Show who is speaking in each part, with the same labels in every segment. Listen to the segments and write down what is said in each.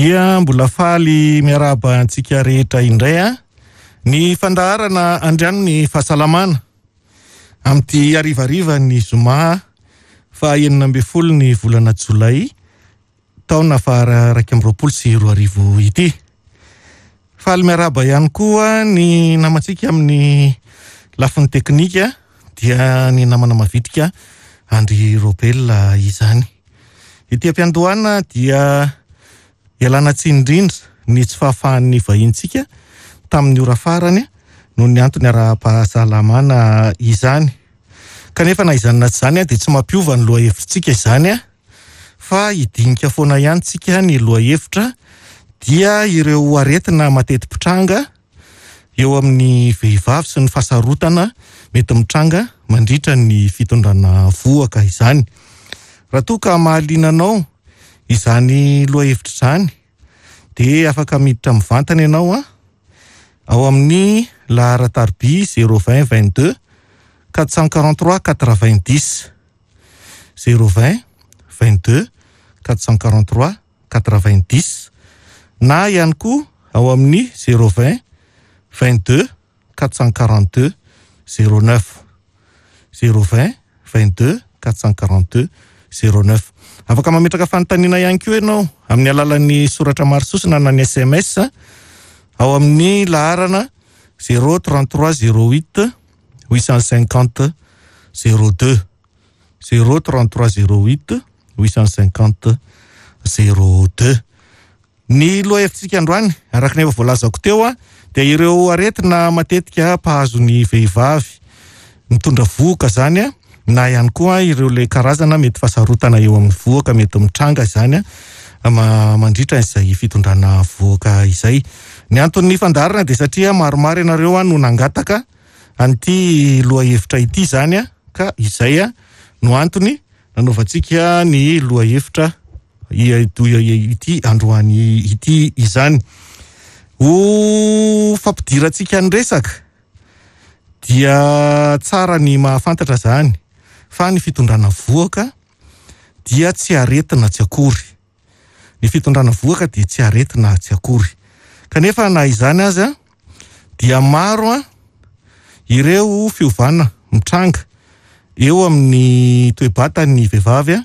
Speaker 1: Dia mbola faly miarahaba antsika rehetra indray a ny fandaharana andriano ny fahasalamana amin'ity harivariva ny zoma faha 16 ny volana jolay taona faha 2021 ity. Faly miarahaba ihany koa ny namantsika amin'ny lafiny teknika dia ny namana mavitrika Andry Robel izany. Ety am-piandohana dia ialana tsiny indrindra ny tsy fahafahan'ny vahintsika tamin'ny ora farany noho ny antony ara-pahasalamana izany. Kanefa na izany na tsy izany dia tsy mampiova ny lohahevitsika izany fa hidinika foana ihany tsika ny lohahevitra dia ireo aretina mateti-pitranga eo amin'ny vehivavy sy ny fahasarotana mety mitranga mandritra ny fitondrana vohoka izany. Raha toa ka mahaliana anao izany lohahevitra izany dia afaka miditra mivantana ianao ao amin'ny laharan-tariby 020 22 443 90 020 22 443 90 na ihany koa ao amin'ny 020 22 442 09 020 22 442 09. Afaka mametraka fanontaniana ihany koa ianao amin'ny alalan'ny soratra maro sosona na ny SMS ao amin'ny laharana 033 08 850 02 033 08 850 02. Ny lohahevitsika androany, araka ny efa voalazako teo, dia ireo aretina matetika mpahazo ny vehivavy mitondra vohoka izany, na ihany koa ireo ilay karazana mety fahasarotana eo amin'ny vohoka mety mitranga izany mandritra izay fitondrana vohoka izay. Ny anton'ny fandaharana dia satria maromaro ianareo no nangataka an'ity lohahevitra ity izany, ka izay no antony nanaovantsika ny lohahevitra ity androany ity izany. Ho fampidirantsika ny resaka dia tsara ny mahafantatra izany fa ny fitondrana vohoka dia tsy aretina tsy akory. Ny fitondrana vohoka dia tsy aretina tsy akory. Kanefa na izany aza dia maro ireo fiovana mitranga eo amin'ny toe-batan'ny vehivavy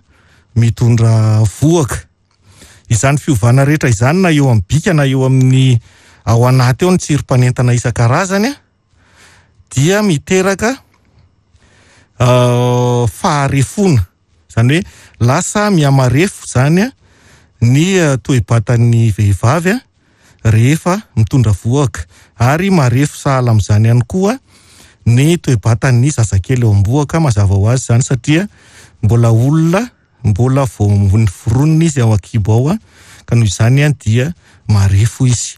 Speaker 1: mitondra vohoka. Izany fiovana rehetra izany na eo amin'ny bika na eo amin'ny ao anaty ao ny tsirim-panentana isan-karazany dia miteraka faharefoana. Izany hoe lasa mihamarefo izany ny toe-batan'ny vehivavy rehefa mitondra vohoka, ary marefo sahala amin'izany ihany koa ny toe-batan'ny zazakely eo am-bohoka, mazava ho azy izany satria mbola olona mbola vao noforonina izy ao an-kibo ao, ka noho izany dia marefo izy.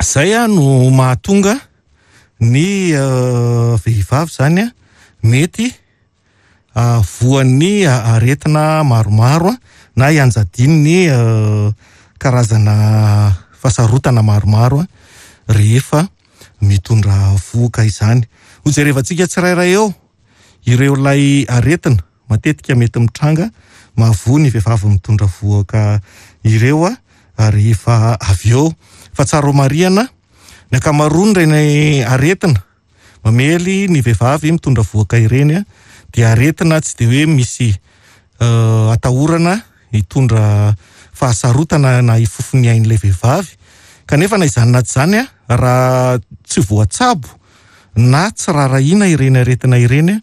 Speaker 1: Izay no mahatonga ny vehivavy izany mety voan'ny aretina maromaro na ianjadian'ny karazana fahasarotana maromaro rehefa mitondra vohoka izany. Ho jerevantsika tsirairay eo ireo ilay aretina matetika mety mitranga mahavoa ny vehivavy mitondra vohoka ireo rehefa avy eo. Fa tsara ho marihana ny ankamaroan'ireny aretina Mamely ny vehivavy mitondra vohoka ireny dia aretina tsy dia hoe misy atahorana hitondra fahasarotana na hifofo ny ain'ilay vehivavy. Kanefa na izany na tsy izany, raha tsy voatsabo na tsy rarahiana ireny aretina ireny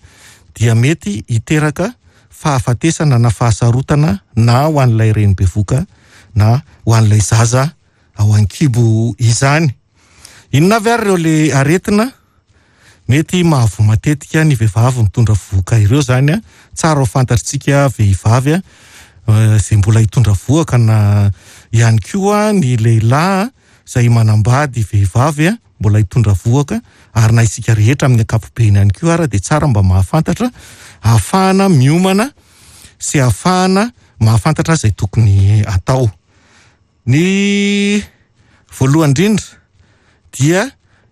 Speaker 1: dia mety hiteraka fahafatesana na fahasarotana na ho an'ilay reny bevoka na ho an'ilay zaza ao an-kibo izany. Inona avy ary ireo le aretina mety mahavoa matetika ny vehivavy mitondra vohoka ireo izany a? Tsara ho fantatritsika vehivavy a, izay mbola hitondra vohoka na ihany koa ny lehilahy izay manambady vehivavy a, mbola hitondra vohoka, ary na isika rehetra amin'ny ankapobeny ihany koa ara dia tsara mba mahafantatra ahafahana miomana sy ahafahana mahafantatra izay tokony atao. Ny voalohany indrindra dia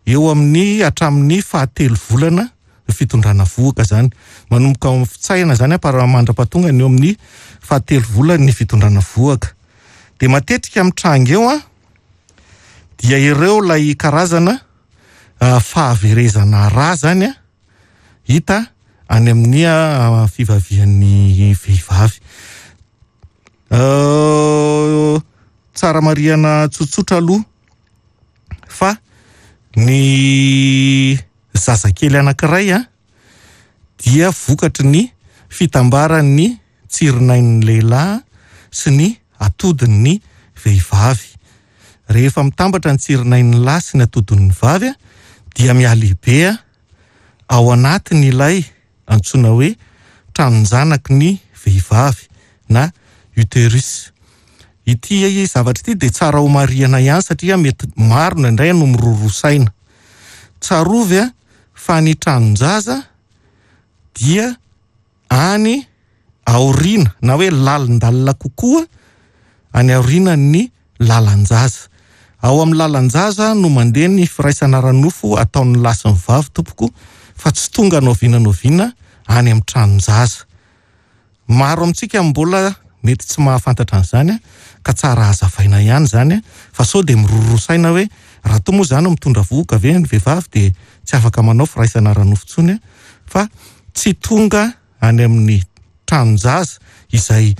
Speaker 1: eo amin'ny hatramin'ny fahatelo volana ny fitondrana vohoka izany. Manomboka ao amin'ny fitsaihana izany ampara mandra-pahatonga ny eo amin'ny fahatelo volana ny fitondrana vohoka. Dia matetika mitranga eo an, dia ireo ilay karazana fahaverezana rà izany an, hita any amin'ny fivavian'ny vehivavy. Tsara marihana tsotsotra aloha fa ny zazakely anankiray an, dia vokatry ny fitambaran'ny tsirinain'ny lehilahy sy ny atodin'ny vehivavy. Rehefa mitambatra ny tsirinain'ny lahy sy ny atodin'ny vavy dia mihalehibe ao anatin'ilay antsoina hoe tranon-janaky ny vehivavy na uterus. Ity zavatra ity dia tsara ho marihana ihany satria mety maro indraindray no miroroa saina. Tsarovy fa ny tranon-jaza dia any aoriana na hoe lalindalina kokoa any aorianan'ny lalan-jaza. Ao amin'ny lalan-jaza no mandeha ny firaisana ara-nofo ataon'ny lahy sy ny vavy tompoko fa tsy tonga n'oviana n'oviana any amin'ny tranon-jaza. Maro amintsika mbola mety tsy mahafantatra an'izany ka tsara hazavaina ihany izany fa sao dia miroroa saina hoe raha toa moa izany mitondra vohoka ve ny vehivavy dia tsy afaka manao firaisana ara-nofo intsony fa tsy tonga any amin'ny tranon-jaza izay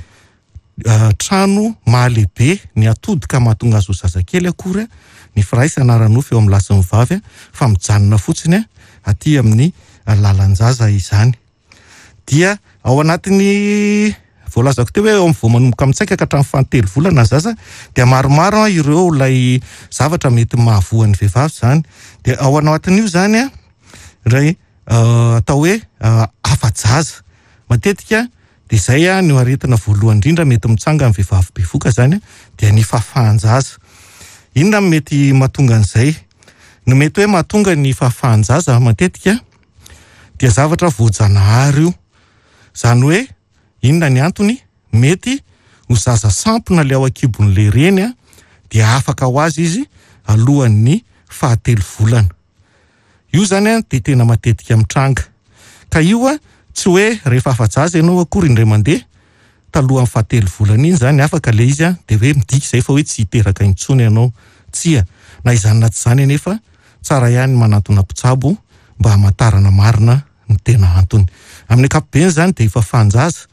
Speaker 1: trano mahalehibe ny atody ka mahatonga azy ho zazakely akory ny firaisana ara-nofo eo amin'ny lahy sy ny vavy fa mijanona fotsiny aty amin'ny lalan-jaza izany. Dia ao anatin'ny voalazako teo hoe eo amin'ny vao manomboka mitsaika ka hatramin'ny fahatelo volana ny zaza dia maromaro ireo ilay zavatra mety mahavoa ny vehivavy izany. Dia ao anatin'io izany ilay atao hoe afa-jaza. Matetika dia izay no aretina voalohany indrindra mety mitsanga amin'ny vehivavy bevoka izany dia ny fahafahan-jaza. Inona no mety mahatonga an'izay? Ny mety hoe mahatonga ny fahafahan-jaza matetika dia zavatra voajanahary io. Izany hoe inona ny antony? Mety ho zaza sampona ilay ao an-kibon'ilay reny dia afaka ho azy izy alohan'ny fahatelo volana. Io izany an dia tena matetika mitranga. Ka io an tsy hoe rehefa afa-jaza ianao akory indray mandeha talohan'ny fahatelo volana iny izany afaka ilay izy an dia hoe midika izay fa hoe tsy hiteraka intsony ianao. Tsia. Na izany na tsy izany anefa tsara ihany ny manantona mpitsabo mba hamantarana marina ny tena antony. Amin'ny ankapobeny izany dia efa fahan-jaza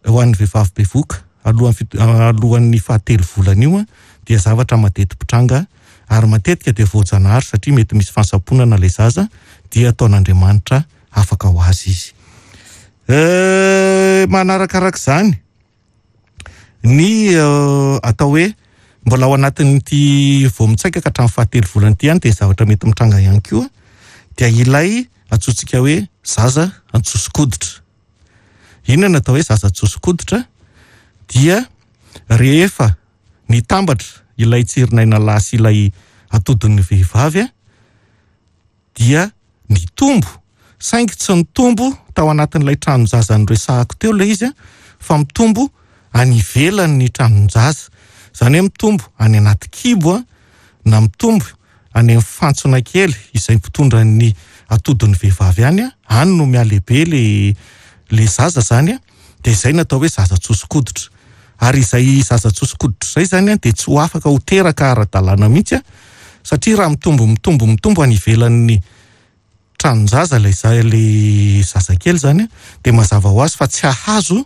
Speaker 1: Ho an'ny vehivavy bevoka, alohan'ny fit- alohan'ny fahatelo volana io dia zavatra mateti-pitranga ary matetika dia voajanahary satria mety misy fahasamponana ilay zaza dia ataon'Andriamanitra afaka ho azy izy. Eh, manarakaraka izany ny atao hoe mbola ao anatin'ity vao mitsaika ka hatramin'ny fahatelo volana ity ihany dia zavatra mety mitranga ihany koa dia ilay antsointsika hoe zaza antsoso-koditra. Inona no atao hoe zaza tsoso-koditra? Dia rehefa nitambatra ilay tsirinaina lahy sy ilay atodin'ny vehivavy dia nitombo, saingy tsy nitombo tao anatin'ilay tranon-jaza noresahako teo ilay izy fa mitombo any ivelan'ny tranon-jaza. Izany hoe mitombo any anaty kibo na mitombo any amin'ny fantsona kely izay mpitondra ny atodin'ny vehivavy any, any no mihalehibe le le zaza zany dia izay no atao hoe zaza tsoso-koditra. Ary izay zaza tsoso-koditra izay zany dia tsy ho afaka ho teraka ara-dalàna mihitsy satria raha mitombo mitombo mitombo any ivelan'ny tranon-jaza ilay za- ilay zazakely izany dia mazava ho azy fa tsy hahazo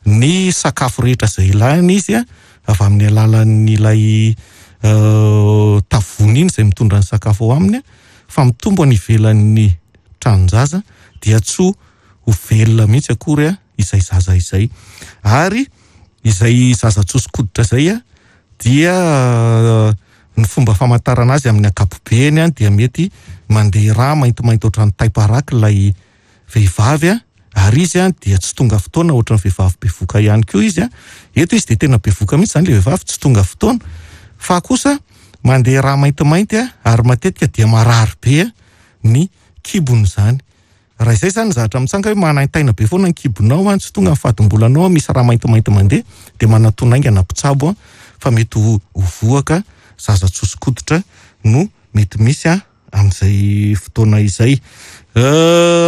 Speaker 1: ny sakafo rehetra izay ilainy izy avy amin'ny alalan'ilay tavony iny izay mitondra ny sakafo ao aminy fa mitombo any ivelan'ny tranon-jaza dia tsy ho velona mihitsy akory izay zaza izay. Ary izay zaza tsoso-koditra izay dia ny fomba famantarana azy amin'ny ankapobeny dia mety mandeha rà maintimainty ohatran'ny taim-paraky ilay vehivavy ary izy dia tsy tonga fotoana ohatran'ny vehivavy bevoka ihany koa izy. Eto izy dia tena bevoka mihitsy izany ilay vehivavy, tsy tonga fotoana fa kosa mandeha rà maintimainty ary matetika dia marary be ny kibony izany. Raha izay izany ny zavatra mitsanga hoe manaintaina be foana ny kibonao an, tsy tonga ny fadimbolanao an, misy rà maintimainty mandeha dia manatona haingana mpitsabo an, fa mety ho vohoka zaza tsoso-koditra no mety misy an amin'izay fotoana izay.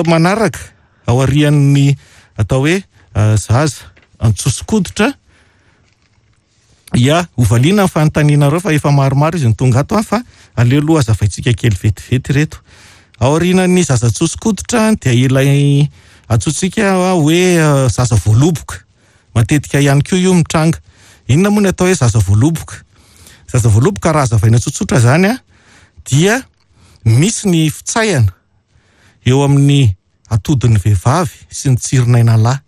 Speaker 1: Manaraka aorian'ny atao hoe zaza antsoso-koditra. Ya, hovaliana ny fanontanianareo fa efa maromaro izy no tonga ato an, fa aleo aloha hazavaintsika kely vetivety ireto. Aorianan'ny zaza tsoso-koditra dia ilay antsointsika hoe zaza voaloboka. Matetika ihany koa io mitranga. Inona moa ny atao hoe zaza voaloboka? Zaza voaloboka raha hazavaina tsotsotra izany an, dia misy ny fitsaihana eo amin'ny atodin'ny vehivavy sy ny tsirin'aina lahy.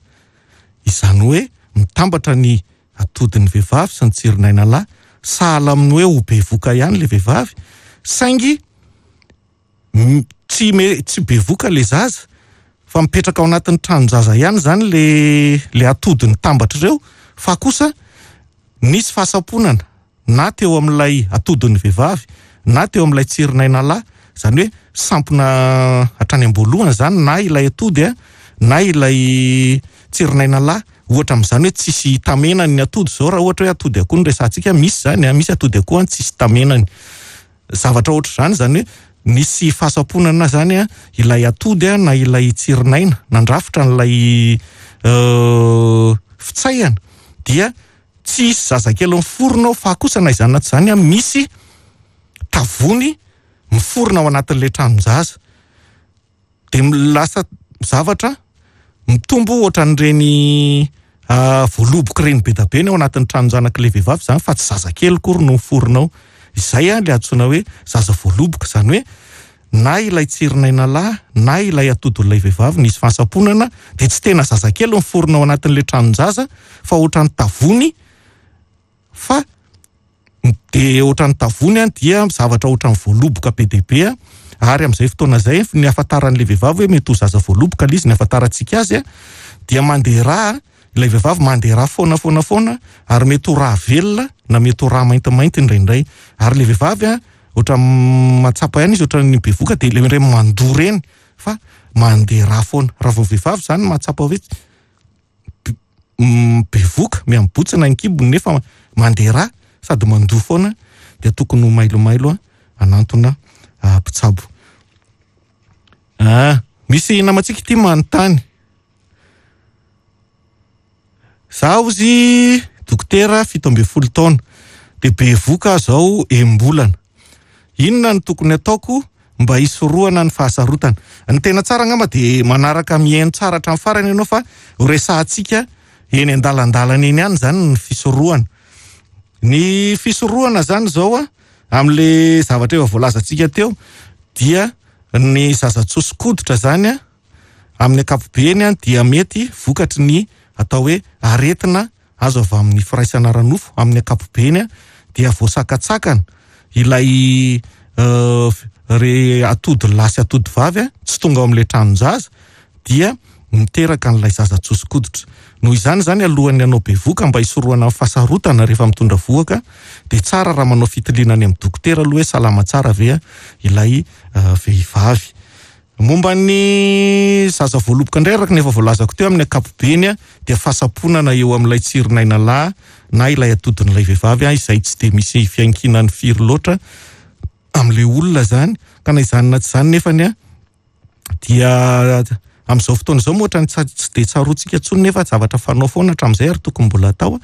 Speaker 1: Izany hoe mitambatra ny atodin'ny vehivavy sy ny tsirin'aina lahy, sahala amin'ny hoe ho bevoka ihany ilay vehivavy, saingy tsy tsy bevoka ilay zaza fa mipetraka ao anatin'ny tranon-jaza ihany izany ilay ilay atody nitambatra ireo fa kosa nisy fahasamponana na teo amin'ilay atodin'ny vehivavy na teo amin'ilay tsirin'aina lahy, izany hoe sampona hatrany am-boalohany izany na ilay atody na ilay tsirin'aina lahy, ohatra amin'izany hoe tsisy tamenany ny atody izao raha ohatra hoe atody akoho no resahantsika, misy izany an, misy atody akoho an tsisy tamenany, zavatra ohatr'izany izany hoe nisy fahasamponana izany an ilay atody na ilay tsirin'aina nandrafitra an'ilay fitsaihana dia Tsy hisy zazakely miforona ao fa kosa na izany na tsy izany an, misy tavony miforona ao anatin'ilay tranon-jaza. Dia lasa zavatra mitombo ohatran'ireny voaloboka ireny be dia be ny ao anatin'ny tranon-janak'ilay vehivavy izany fa tsy zazakely akory no miforona ao. Izay an ilay antsoina hoe zaza voaloboka, izany hoe na ilay tsirin'aina lahy na ilay atodin'ilay vehivavy nisy fahasamponana dia tsy tena zazakely miforona ao anatin'ilay tranon-jaza fa ohatran'ny tavony fa dia ohatran'ny tavony an dia zavatra ohatran'ny voaloboka be dia be ary amin'izay fotoana izay ny ahafantaran'ilay vehivavy hoe mety ho zaza voaloboka ilay izy ny ahafantarantsika azy dia mandeha rà ilay vehivavy mandeha rà foana foana foana ary mety ho rà velona na mety ho rà maintimainty indraindray ary ilay vehivavy an Ohatran'ny mahatsapa ihany izy ohatran'ny bevoka dia ilay ireny mandoa ireny fa mandeha rà foana. Raha vao vehivavy izany mahatsapa hoe bevoka, miha-mibotsina ny kibony nefa mandeha rà sady mandoa foana dia tokony ho mailomailo hanantona mpitsabo. Ah, misy namantsika ity manontany. Za ozy dokotera 17 taona dia bevoka aho zao enim-bolana. Inona no tokony ataoko mba hisorohana ny fahasarotana? Ny tena tsara angamba dia manaraka mihaino tsara hatramin'ny farany ianao fa ho resahantsika eny an-dalandalana eny ihany izany ny fisorohana. Ny fisorohana izany izao a, amin'le zavatra efa voalazantsika teo dia ny zaza tsoso-koditra izany a, Amin'ny ankapobeny dia mety vokatry ny atao hoe aretina azo avy amin'ny firaisana ara-nofo, amin'ny ankapobeny dia voasakatsakana ilay re atody lahy sy atody vavy tsy tonga ao amin'ilay tranon-jaza dia miteraka an'ilay zaza tsoso-koditra. Noho izany izany alohan'ny hanao bevoka mba hisorohana ny fahasarotana rehefa mitondra vohoka dia tsara raha manao fitiliana any amin'ny dokotera aloha hoe salama tsara ve ilay vehivavy. Momba ny zaza voaloboka indray araka ny efa voalazako teo amin'ny ankapobeny dia fahasamponana eo amin'ilay tsirin'aina lahy na ilay atodin'ilay vehivavy izay tsy dia misy fiankinany firy loatra amin'ilay olona izany ka na izany na tsy izany nefany dia amin'izao fotoana izao moa ohatran'ny tsy dia tsaroantsika intsony nefa zavatra fanao foana hatramin'izay ary tokony mbola atao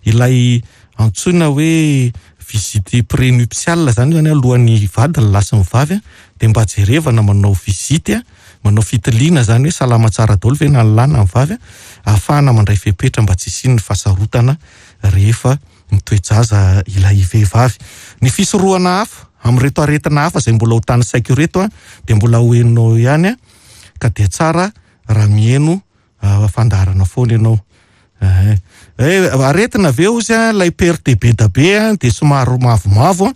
Speaker 1: ilay antsoina hoe visite prénuptiale zany zany alohan'ny hivady ny lahy sy ny vavy dia mba jerevana manao visite manao fitiliana zany hoe salama tsara daholo ve na ny lahy na ny vavy ahafahana mandray fepetra mba tsy hisian'ny fahasarotana rehefa mitoe-jaza ilay vehivavy. Ny fisorohana hafa amin'ireto aretina hafa izay mbola ho tanisaiko ireto dia mbola ho henonao ihany ka dia tsara raha miheno fandaharana foana ianao. Eh, aretina ve ozy a, ilay perte be da be a, dia somary mavomavo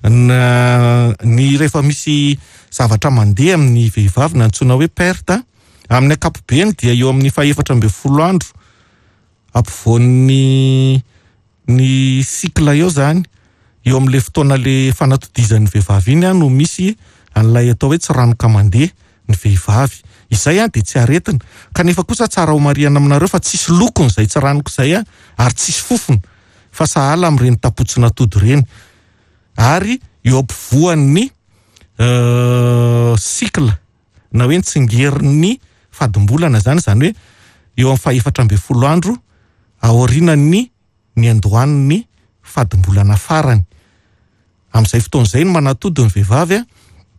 Speaker 1: a, ny rehefa misy zavatra mandeha amin'ny vehivavy na antsoina hoe perte, amin'ny ankapobeny dia eo amin'ny fahefatra ambin'ny folo andro ampovoan'ny ny cycle eo zany, eo amin'ilay fotoana le fanatodizan'ny vehivavy iny no misy an'ilay atao hoe tsiranoka mandeha ny vehivavy. Izay dia tsy aretina. Kanefa kosa tsara ho marihana aminareo fa tsisy lokony izay tsiranoka izay ary tsisy fofona fa sahala amin'ireny tapotsin'atody ireny. Ary eo ampovoan'ny cycle na hoe ny tsingerin'ny fadimbolana izany, izany hoe eo amin'ny fahefatra ambin'ny folo andro aorianan'ny niandohan'ny fadimbolana farany. Amin'izay fotoana izay no manatody ny vehivavy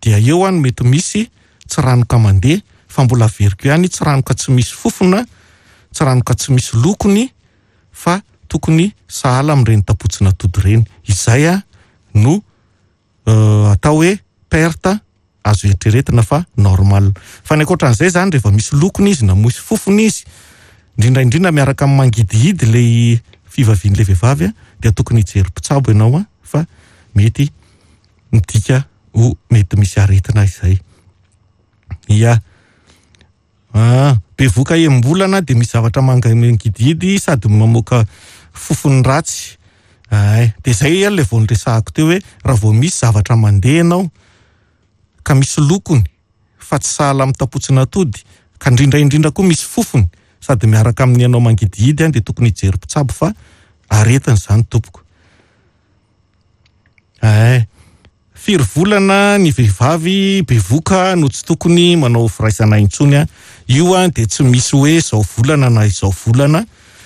Speaker 1: dia eo no mety misy tsiranoka mandeha fa mbola averiko ihany tsiranoka tsy misy fofona, tsiranoka tsy misy lokony fa tokony sahala amin'ireny tapotsin'atody ireny. Izay no atao hoe perte azo eritreretina fa normal. Fa ny ankoatran'izay izany rehefa misy lokony izy na misy fofona izy, indrindra indrindra miaraka amin'ny mangidihidy ilay fivavian'ilay vehivavy dia tokony hijery mpitsabo ianao fa mety midika ho mety misy aretina izay. Ia. Ah, bevoka enim-bolana dia misy zavatra mangidihidy sady mamoaka fofony ratsy. Ay, dia izay ilay vao niresahako teo hoe raha vao misy zavatra mandeha ianao ka misy lokony fa tsy sahala amin'ny tapotsin'atody ka indrindra indrindra koa misy fofony sady miaraka amin'ny anao mangidihidy dia tokony hijery mpitsabo fa aretina izany tompoko. Ay, firy volana ny vehivavy bevoka no tsy tokony manao firaisana intsony a. Io a dia tsy misy hoe izao volana na izao volana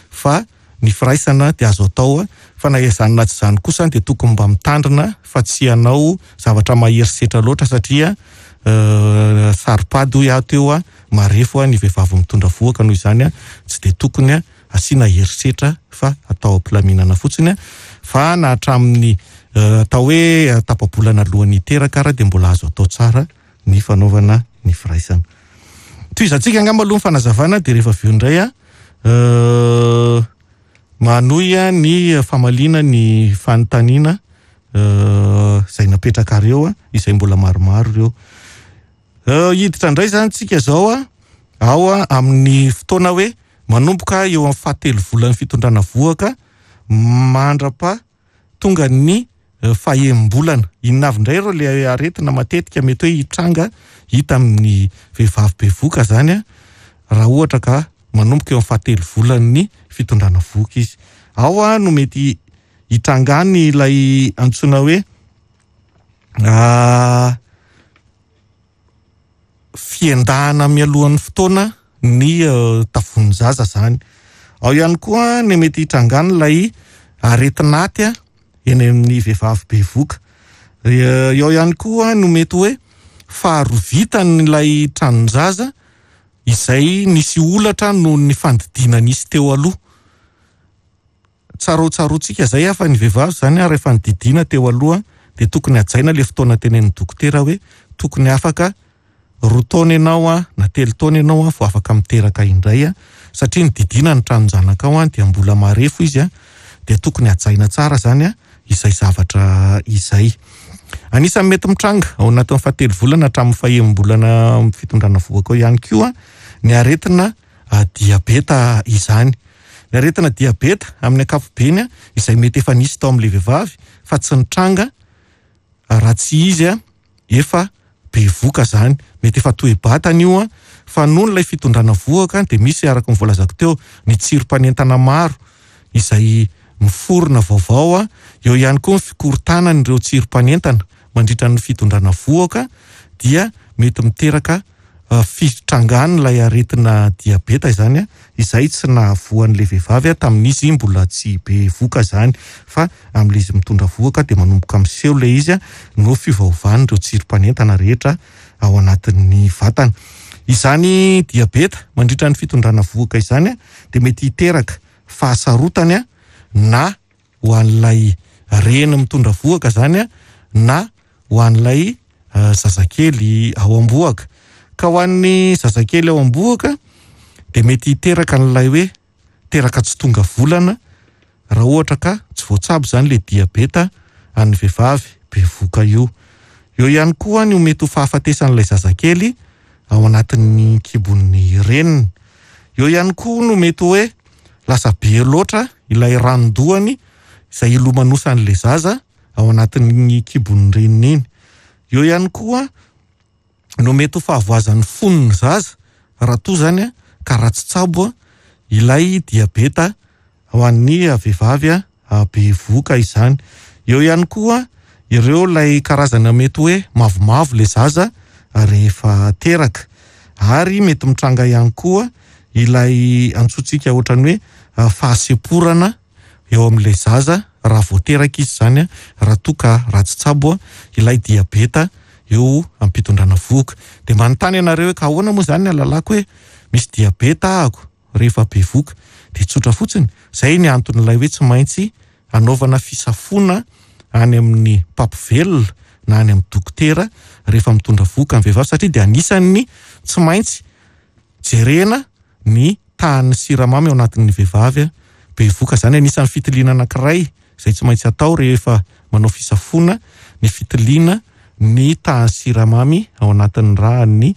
Speaker 1: fa ny firaisana dia azo atao a, fa na izany na tsy izany kosa dia tokony mba mitandrina fa tsy hanao zavatra mahery setra loatra satria saro-pady hoy aho teo a, marefo a ny vehivavy mitondra vohoka noho izany a tsy dia tokony a asiana herisetra fa atao am-pilaminana fotsiny fa na hatramin'ny atao hoe tapa-bolana alohan'ny hiteraka ara dia mbola azo atao tsara ny fanaovana ny firaisana. Tohizantsika angamba aloha ny fanazavana dia rehefa avy eo indray a manohy ny famaliana ny fanontaniana izay napetrakareo izay mbola maromaro ireo. Hiditra indray izany tsika izao a ao amin'ny fotoana hoe manomboka eo amin'ny fahatelo volan'ny fitondrana vohoka mandrapa tonga ny fahembolana. Inona avy indray ireo ilay aretina matetika mety hoe hitranga hita amin'ny vehivavy bevoka izany a raha ohatra ka manomboka eo amin'ny fahatelo volan'ny fitondrana vohoka izy. Ao a no mety hitrangany ilay antsoina hoe fiendahana mialohan'ny fotoana ny tavonin-jaza izany. Ao ihany koa ny mety hitrangany ilay aretin'aty eny amin'ny vehivavy bevoka. Eo ihany koa no mety hoe faharovitan'ilay tranon-jaza izay nisy olatra noho ny fandidiana nisy teo aloha. Tsarotsaroantsika izay fa ny vehivavy izany rehefa nididiana teo aloha dia tokony hajaina ilay fotoana tenenin'ny dokotera hoe tokony afaka 2 taona ianao na 3 taona ianao vao afaka miteraka indray satria nididiana ny tranon-janakao dia mbola marefo izy dia tokony hajaina tsara izany izay zavatra izay. Anisan'ny mety mitranga ao anatin'ny fahatelo volana hatramin'ny fahembolana fitondrana vohoka ao ihany koa ny aretina diabeta izany. Ny aretina diabeta amin'ny ankapobeny izay mety efa nisy tao amin'ilay vehivavy fa tsy nitranga raha tsy izy efa bevoka izany. Mety efa toe-batana io fa noho ilay fitondrana vohoka dia misy araka ny voalazako teo ny tsirom-panentana maro izay miforona vaovao. Eo ihany koa ny fikorontanan'ireo tsirom-panentana mandritra ny fitondrana vohoka dia mety miteraka fitrangan'ilay aretina diabeta izany izay tsy nahavoan'ilay vehivavy tamin'izy mbola tsy bevoka izany fa amin'ilay izy mitondra vohoka dia manomboka miseho ilay izy no fiovaovan'ireo tsirom-panentana rehetra ao anatin'ny vatana. Izany diabeta mandritra ny fitondrana vohoka izany dia mety hiteraka fahasarotany na ho an'ilay reny mitondra vohoka izany na ho an'ilay zazakely ao am-bohoka. Ka ho an'ny zazakely ao am-bohoka dia mety hiteraka an'ilay hoe teraka tsy tonga volana raha ohatra ka tsy voatsabo izany ilay diabeta an'ny vehivavy bevoka io. Eo ihany koa ny mety ho fahafatesan'ilay zazakely ao anatin'ny kibon'ny reniny. Eo ihany koa no mety hoe lasa be loatra ilay ranon-dohany izay ilomanosan'ilay zaza ao anatin'ny kibon'ny reniny iny. Eo ihany koa no mety ho fahavoazan'ny fon'ny zaza raha toa izany ka raha tsy tsabo ilay diabeta ho an'ny vehivavy bevoka izany. Eo ihany koa ireo ilay karazana mety hoe mavomavo ilay zaza rehefa teraka. Ary mety mitranga ihany koa ilay antsointsika ohatran'ny hoe fahasemporana eo amin'ilay zaza. raha vao teraka izy izany raha toa ka ratsy tsabo ilay diabeta eo am-pitondrana vohoka. Dia manontany ianareo hoe ka ahoana moa izany ny ahalalako hoe misy diabeta ahako rehefa bevohoka? Dia tsotra fotsiny, izay ny anton'ilay hoe tsy maintsy anaovana fisafoana any amin'ny mpampivelona na any amin'ny dokotera rehefa mitondra vohoka ny vehivavy satria dia anisan'ny tsy maintsy jerena ny tahan'ny siramamy ao anatin'ny vehivavy bevohoka. Izany anisan'ny fitiliana anankiray izay tsy maintsy atao rehefa manao fisafoana ny fitiliana ny tahan'ny siramamy ao anatin'ny ràn'ny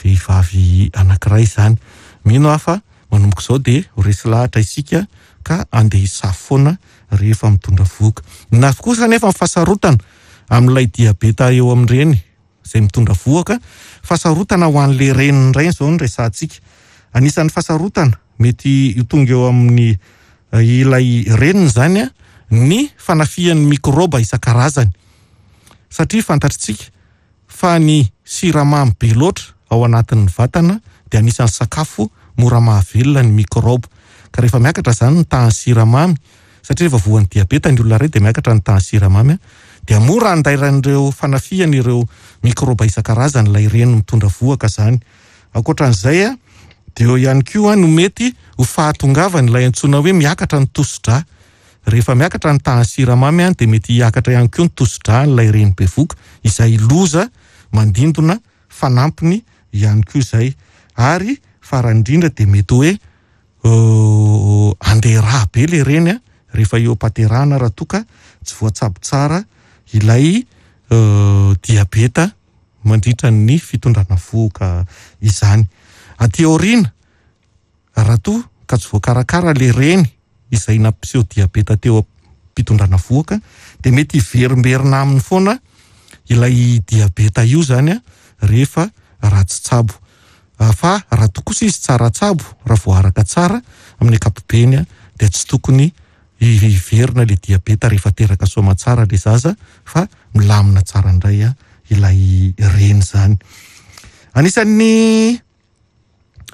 Speaker 1: vehivavy anankiray izany. Mino aho fa manomboka izao dia ho resy lahatra isika ka andeha hisafo foana rehefa mitondra vohoka. Na kosa anefa ny fahasarotana amin'ilay diabeta eo amin'ny reny izay mitondra vohoka, fahasarotana ho an'ilay reniny indray izao no resahantsika. Anisan'ny fahasarotana mety ho tonga eo amin'ny ilay reniny izany ny fanafihan'ny mikraoba isan-karazany. Satria fantatritsika fa ny siramamy be loatra ao anatin'ny vatana dia anisan'ny sakafo mora mahavelona ny mikraoba. Ka rehefa miakatra izany ny tahan'ny siramamy, satria rehefa voan'ny diabeta ny olona iray dia miakatra ny tahan'ny siramamy, dia mora andairan'ireo fanafihana ireo mikraoba isan-karazany ilay reny mitondra vohoka izany. Ankoatran'izay dia eo ihany koa no mety ho fahatongavany ilay antsoina hoe miakatra ny tosi-drà. Rehefa miakatra ny tahan'ny siramamy dia mety hiakatra ihany koa ny tosi-drà an'ilay reny bevoka, izay loza mandindona fanampiny ihany koa izay. Ary farany indrindra dia mety hoe handeha rà be ilay reny rehefa eo am-pahaterahana raha toa ka tsy voatsabo tsara ilay diabeta mandritra ny fitondrana vohoka izany. Aty aoriana, raha toa ka tsy voakarakara ilay reny izay nampiseho diabeta teo am-pitondrana vohoka dia mety hiverimberina aminy foana ilay diabeta io izany rehefa ratsy tsabo. Fa raha toa kosa izy tsara tsabo, raha voaaraka tsara amin'ny ankapobeny dia tsy tokony hiverina ilay diabeta rehefa teraka soamantsara ilay zaza fa milamina tsara indray ilay reny izany. Anisan'ny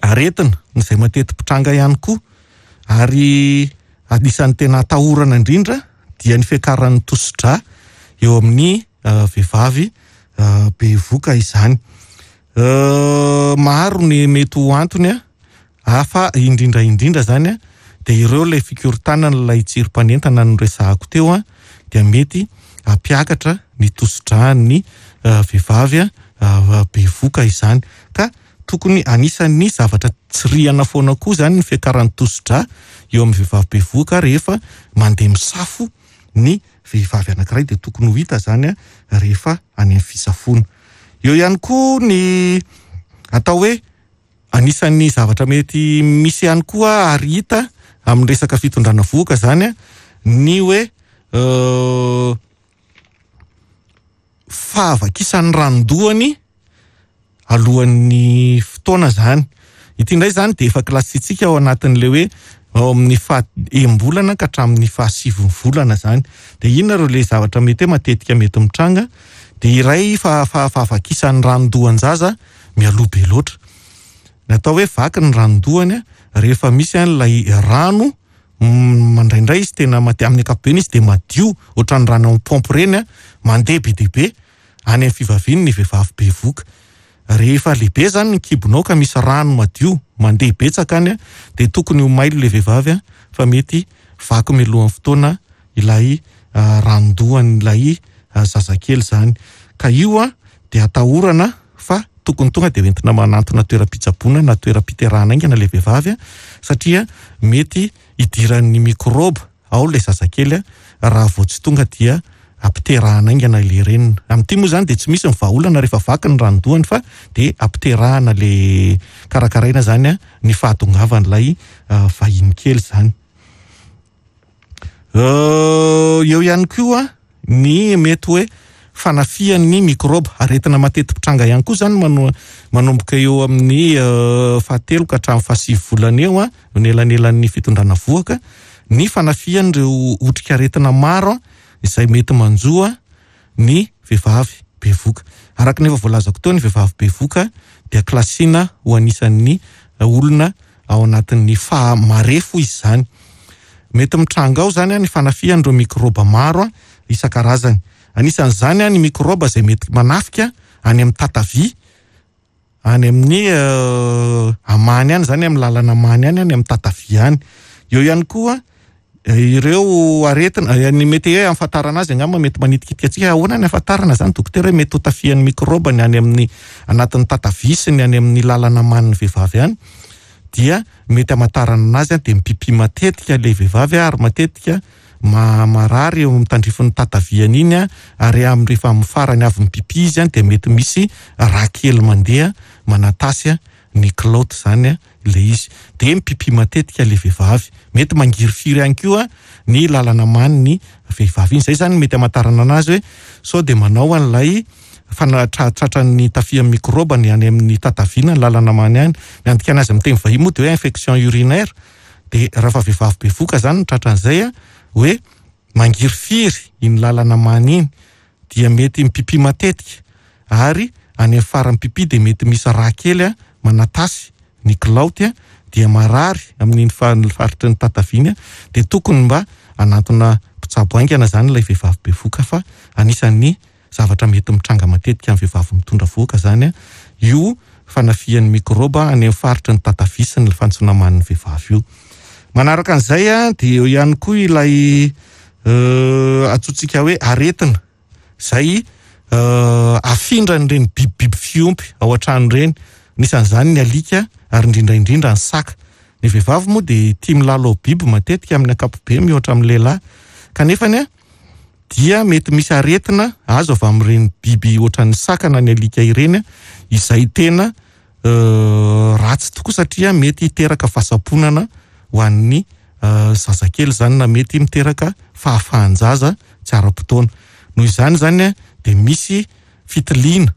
Speaker 1: aretina izay mateti-pitranga ihany koa ary anisan'ny tena atahorana indrindra dia ny fiakaran'ny tosi-drà eo amin'ny vehivavy bevoka izany. Maro ny mety ho antony fa indrindra indrindra izany dia ireo ilay fikorontanana ilay tsirim-panentana noresahako teo dia mety hampiakatra ny tosi-dràn'ny vehivavy bevoka izany. Ka tokony anisan'ny zavatra tsirihana foana koa izany ny fiakaran'ny tosi-drà eo amin'ny vehivavy bevoka rehefa mandeha misafo ny vehivavy anankiray dia tokony ho hita izany rehefa any amin'ny fisafoana. Eo ihany koa ny atao hoe anisan'ny zavatra mety misy ihany koa ary hita amin'ny resaka fitondrana vohoka izany ny hoe fahavakisan'ny ranon-dohany alohan'ny fotoana izany. Ity indray izany dia efa kilasintsika ao anatin'ilay hoe ao amin'ny faha enim-bolana ka hatramin'ny faha sivy volana izany. Dia inona ireo ilay zavatra mety hoe matetika mety mitranga? Dia iray fahavakisan'ny ranon-dohan-jaza mialoha be loatra. Ny atao hoe vaky ny ranon-dohany rehefa misy an'ilay rano mandraindray izy tena madio, amin'ny ankapobeny izy dia madio ohatran'ny rano amin'ny paompy ireny, mandeha be dia be any amin'ny fivaviany ny vehivavy bevoka. Rehefa lehibe izany ny kibonao ka misy rano madio mandeha betsaka any dia tokony ho mailo ilay vehivavy fa mety vaky mialohan'ny fotoana ilay ranon-dohan'ilay zazakely izany. Ka io dia atahorana fa tokony tonga dia hoentina manantona toeram-pitsaboana na toeram-piterahana haingana ilay vehivavy satria mety hidiran'ny mikraoba ao ilay zazakely raha vao tsy tonga dia ampiterahana haingana ilay reniny. Amin'ity moa izany dia tsy misy ny vahaolana rehefa vaky ny ranon-dohany fa dia ampiterahana ilay karakaraina izany ny fahatongavan'ilay vahiny kely izany. Eo ihany koa ny mety hoe fanafihan'ny mikraoba. Aretina mateti-pitranga ihany koa izany manomboka eo amin'ny fahatelo ka hatramin'ny fahasivy volana eo, ny elanelan'ny fitondrana vohoka, ny fanafihan'ireo otrikaretina maro izay mety manjo ny vehivavy bevoka. Araka ny efa voalazako teo, ny vehivavy bevoka dia kilasiana ho anisan'ny olona ao anatin'ny faha marefo izy izany. Mety mitranga ao izany ny fanafihan'ireo mikrôba maro isan-karazany. Anisan'izany ny mikrôba izay mety manafika any amin'ny tatavia, any amin'ny amany any izany, amin'ny lalana amany any, any amin'ny tatavia any. Eo ihany koa ireo aretina, ny mety hoe ahafantarana azy angamba mety manitikitika antsika, ahoana ny ahafantarana izany dokotera hoe mety ho tafihan'ny mikrôba ny any amin'ny anatin'ny tatavia sy ny any amin'ny lalana amanin'ny vehivavy any, dia mety hamantarana anazy dia mipipi matetika ilay vehivavy ary matetika marary eo amin'ny tandrifin'ny tataviany iny ary amin'ny rehefa amin'ny farany avy mipipi izy dia mety misy rà kely mandeha manatasy ny kilaoty izany ilay izy. Dia mipipi matetika ilay vehivavy. Mety mangirifiry ihany koa ny lalana amany ny vehivavy iny. Izay izany mety hamantarana anazy hoe sao dia manao an'ilay tratran'ny tafihan'ny mikrôba ny any amin'ny tataviana ny lalana amany any. Ny andikana azy amin'ny teny vahiny moa dia hoe infection urinaire. Dia raha fa vehivavy bevoka izany no tratran'izay hoe mangirifiry iny lalana amany iny dia mety mipipi matetika ary any amin'ny faran'ny pipi dia mety misy rà kely manatasy ny kilaoty dia marary amin'iny faritry ny tataviana dia tokony mba hanantona mpitsabo haingana izany ilay vehivavy bevoka fa anisan'ny zavatra mety mitranga matetika amin'ny vehivavy mitondra vohoka izany io fanafihan'ny mikrôba any amin'ny faritry ny tatavia sy ny fantsona-manin'ny vehivavy io. Manaraka an'izay dia eo ihany koa ilay antsointsika hoe aretina izay afindran'ireny bibibiby fiompy ao an-trano ireny, anisan'izany ny alika ary indrindra indrindra ny saka. Ny vehivavy moa dia tia milalao biby matetika amin'ny ankapobeny mihoatra amin'ny lehilahy kanefa dia mety misy aretina azo avy amin'ireny biby ohatran'ny saka na ny alika ireny izay tena ratsy tokoa satria mety hiteraka fahasamponana ho an'ny zazakely izany na mety miteraka fahafahan-jaza tsy ara-potoana. Noho izany izany dia misy fitiliana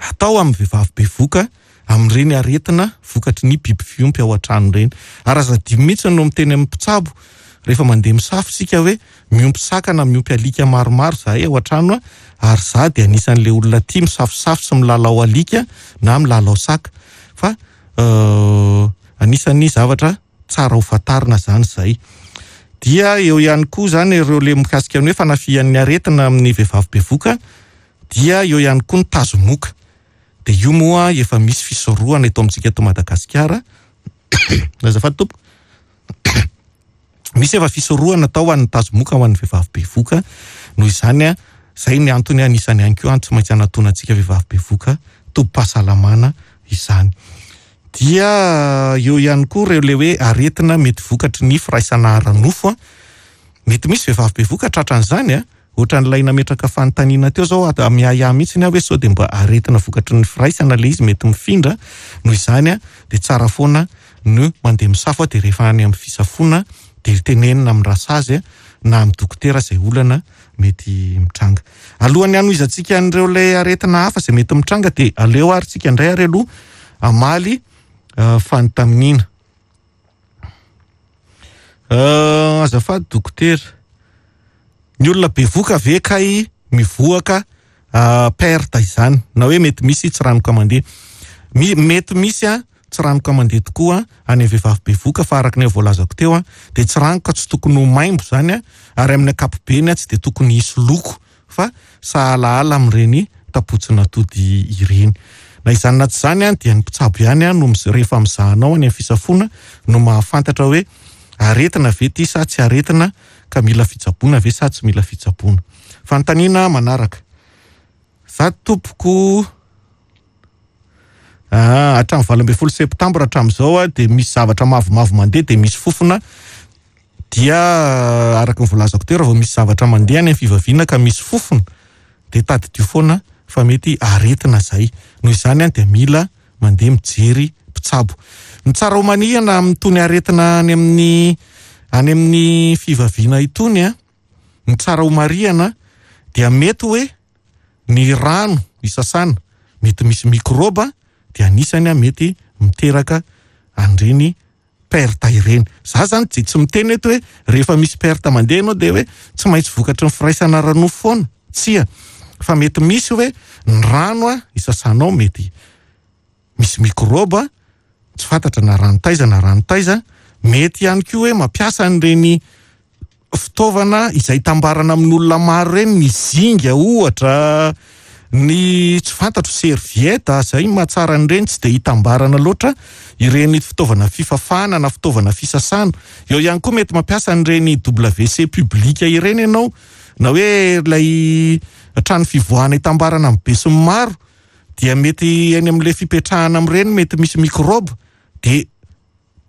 Speaker 1: atao amin'ny vehivavy bevoka amin'ireny aretina vokatry ny biby fiompy ao an-trano ireny. Ary aza adino mihitsy no miteny amin'ny mpitsabo rehefa mandeha misafo isika hoe miompy saka na miompy alika maromaro izahay ao an-trano ary izaho dia anisan'ilay olona tia misafosafo sy milalao alika na milalao saka fa anisan'ny zavatra tsara ho fantarina izany izay. Dia eo ihany koa izany ireo le mikasika ny hoe fanafihan'ny aretina amin'ny vehivavy bevoka dia eo ihany koa ny tazomoka. Dia io moa efa misy fisorohana eto amintsika eto Madagasikara. Azafady tompoko. Misy efa fisorohana atao ho an'ny tazomoka ho an'ny vehivavy bevoka. Noho izany, izay ny antony anisany ihany koa tsy maintsy anatonantsika vehivavy bevoka tobim-pahasalamana izany. Dia eo ihany koa ireo ilay hoe aretina mety vokatry ny firaisana ara-nofo. Mety misy vehivavy bevoka tratran'izany. Ohatran'ilay nametraka fanontaniana teo zao ato, miahiahy mihitsy aho hoe sao dia mba aretina vokatry ny firaisana ilay izy mety mifindra, noho izany dia tsara foana ny mandeha misafo dia rehefa any amin'ny fisafoana dia tenenina amin'ny rasazy na amin'ny dokotera izay olana mety mitranga. Alohan'ny hanohizantsika an'ireo ilay aretina hafa izay mety mitranga dia aleo ary tsika indray ary aloha hamaly fanontaniana. Azafady dokotera, ny olona bevoka ve kay mivoaka perte izany na hoe mety misy tsiranoka mandeha? Mety misy tsiranoka mandeha tokoa any amin'ny vehivavy bevoka fa araka ny voalazako teo dia tsiranoka tsy tokony ho maimbo izany ary amin'ny ankapobeny tsy dia tokony hisy loko fa sahalahala amin'ireny tapotsin'atody ireny. Na izany na tsy izany dia ny mpitsabo ihany no rehefa mizaha anao any amin'ny fisafoana no mahafantatra hoe aretina ve ity sa tsy aretina ka mila fitsaboana ve sa tsy mila fitsaboana. Fanontaniana manaraka. Za tompoko hatramin'ny 18 septambra hatramin'izao dia misy zavatra mavomavo mandeha dia misy fofona dia araka ny voalazako teo raha vao misy zavatra mandeha any amin'ny fivaviana ka misy fofona dia tadidio foana fa mety aretina izay. Noho izany dia mila mandeha mijery mpitsabo. Ny tsara ho manihana amin'itony aretina any amin'ny any amin'ny fivaviana itony, ny tsara ho marihana dia mety hoe ny rano isasana mety misy mikrôba dia anisany mety miteraka an'ireny perte ireny. Za zany dia tsy miteny eto hoe rehefa misy perte mandeha ianao dia hoe tsy maintsy vokatry ny firaisana ara-nofo foana. Tsia. Fa mety misy hoe ny rano isasanao mety misy mikrôba, tsy fantatra na rano taiza na rano taiza, Mety ihany koa hoe mampiasa an'ireny fitaovana izay itambarana amin'olona maro ireny, ny zinga ohatra, ny tsy fantatro serviette, izay ny mahatsara an'ireny tsy dia itambarana loatra ireny fitaovana fifafana na fitaovana fisasana. Eo ihany koa mety mampiasa an'ireny WC public ireny ianao na hoe ilay trano fivoahana itambarana amin'ny besinimaro dia mety eny amin'ilay fipetrahana amin'ireny mety misy mikraoba dia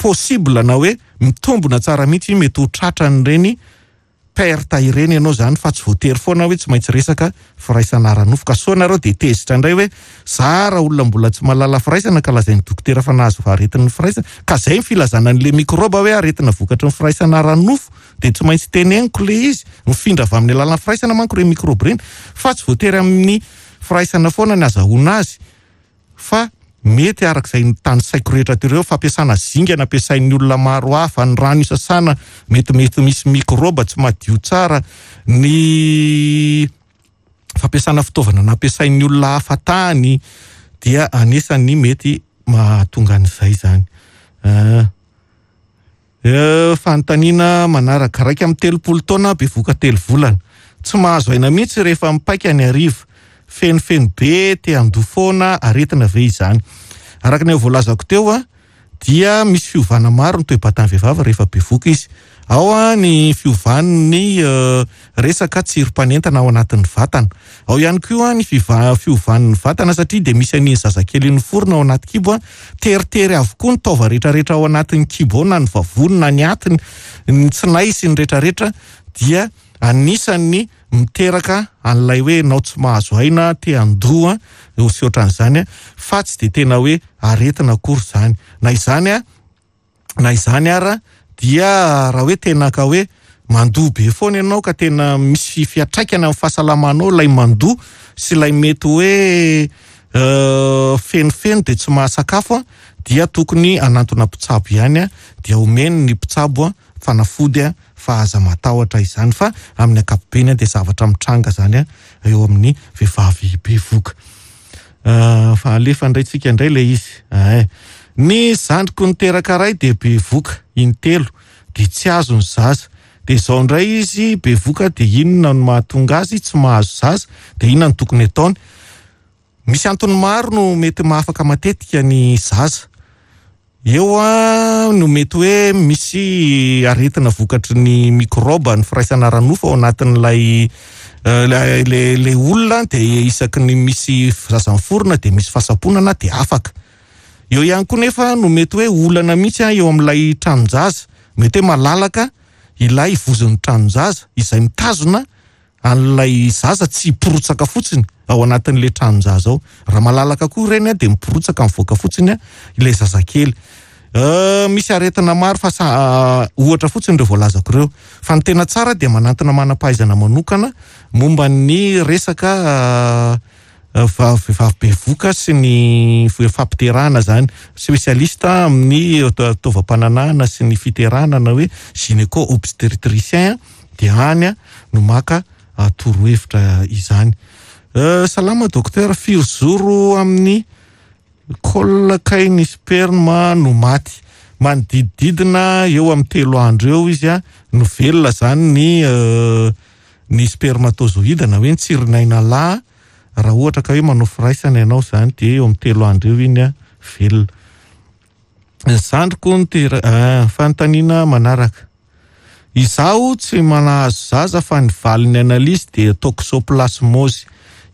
Speaker 1: possible na hoe mitombina tsara mihitsy mety ho tratran'ireny perte ireny ianao izany fa tsy voatery foana hoe tsy maintsy resaka firaisana ara-nofo ka soa nareo dia tezitra indray hoe za raha olona mbola tsy mahalala firaisana ka lazain'ny dokotera fa nahazo aretin'ny firaisana ka zay ny filazana an'le mikraoba hoe aretina vokatry ny firaisana ara-nofo dia tsy maintsy teneniko le izy mifindra avy amin'ny alalan'ny firaisana manko ireny mikraoba ireny fa tsy voatery amin'ny firaisana foana ny azahoana azy fa mety araka izay notanisaiko rehetra teo ireo, fampiasana zinga nampiasain'ny olona maro hafa, ny rano isasana mety mety misy mikraoba tsy madio tsara, ny fampiasana fitaovana nampiasain'ny olona hafa tany dia anisan'ny mety mahatonga an'izay izany. Ah. Fanontaniana manaraka, 31 taona, bevohoka telo volana. Tsy mahazo aina mihitsy rehefa mipaika ny hariva. Fenofeno be, te handoa foana, aretina ve izany? Araka ny efa voalazako teo dia misy fiovana maro ny toe-batan'ny vehivavy rehefa bevohoka izy. Ao ny fiovan'ny resaka tsirim-panentana ao anatin'ny vatana. Ao ihany koa ny fiovan'ny vatana satria dia misy an'iny zazakely iny miforona ao anaty kibo. Teritery avokoa ny taova rehetrarehetra ao anatin'ny kibo ao na ny vavony na ny atiny, ny tsinay sy ny rehetrarehetra dia anisan'ny miteraka an'ilay hoe ianao tsy mahazo aina, te handoa sy ohatran'izany fa tsy dia tena hoe aretina akory izany. Na izany na izany ara dia raha hoe tena ka hoe mandoa be foana ianao ka tena misy fiantraikany amin'ny fahasalamanao ilay mandoa sy ilay mety hoe fenofeno dia tsy mahasakafo dia tokony hanantona mpitsabo ihany dia omeny ny mpitsabo fanafody fa aza matahotra izany fa amin'ny ankapobeny dia zavatra mitranga izany eo amin'ny vehivavy bevoka. Fa alefa indray tsika indray ilay izy. Ay. Ny zandriko niteraka ray dia bevoka intelo dia tsy azo ny zaza. Dia izao indray izy bevoka dia inona no mahatonga azy tsy mahazo zaza dia inona no tokony ataony? Misy antony maro no mety mahafaka matetika ny zaza. Eo no mety hoe misy aretina vokatry ny mikraoba ny firaisana ara-nofo ao anatin'ilay ilay olona dia isaky ny misy zaza miforona dia misy fahasamponana dia afaka. Eo ihany koa nefa no mety hoe olana mihitsy eo amin'ilay tranon-jaza, mety hoe malalaka ilay vozon'ny tranon-jaza izay mitazona an'ilay zaza tsy hiporotsaka fotsiny ao anatin'ilay tranon-jaza ao. Raha malalaka koa ireny dia miporotsaka mivoaka fotsiny ilay zazakely. Misy aretina maro fa ohatra fotsiny ireo voalazako ireo. Fa ny tena tsara dia manantona manam-pahaizana manokana momba ny resaka vehivavy bevoka sy ny fampiterahana izany. Spécialiste amin'ny taovam-pananahana sy ny fiterahana na hoe gynéco obstétricien dia any no maka torohevitra izany. Salama docteur, firy zoro amin'ny col kay ny sperme no maty? Manodidididina eo amin'ny 3 andro eo izy no velona izany ny ny spermatozoïde na hoe ny tsirinaina lahy. Raha ohatra ka hoe manao firaisana ianao izany dia eo amin'ny 3 andro eo iny velona. Ny zandriko no tera-, fanontaniana manaraka. Izaho tsy manahazo zaza fa ny valin'ny analyse dia toxoplasmose.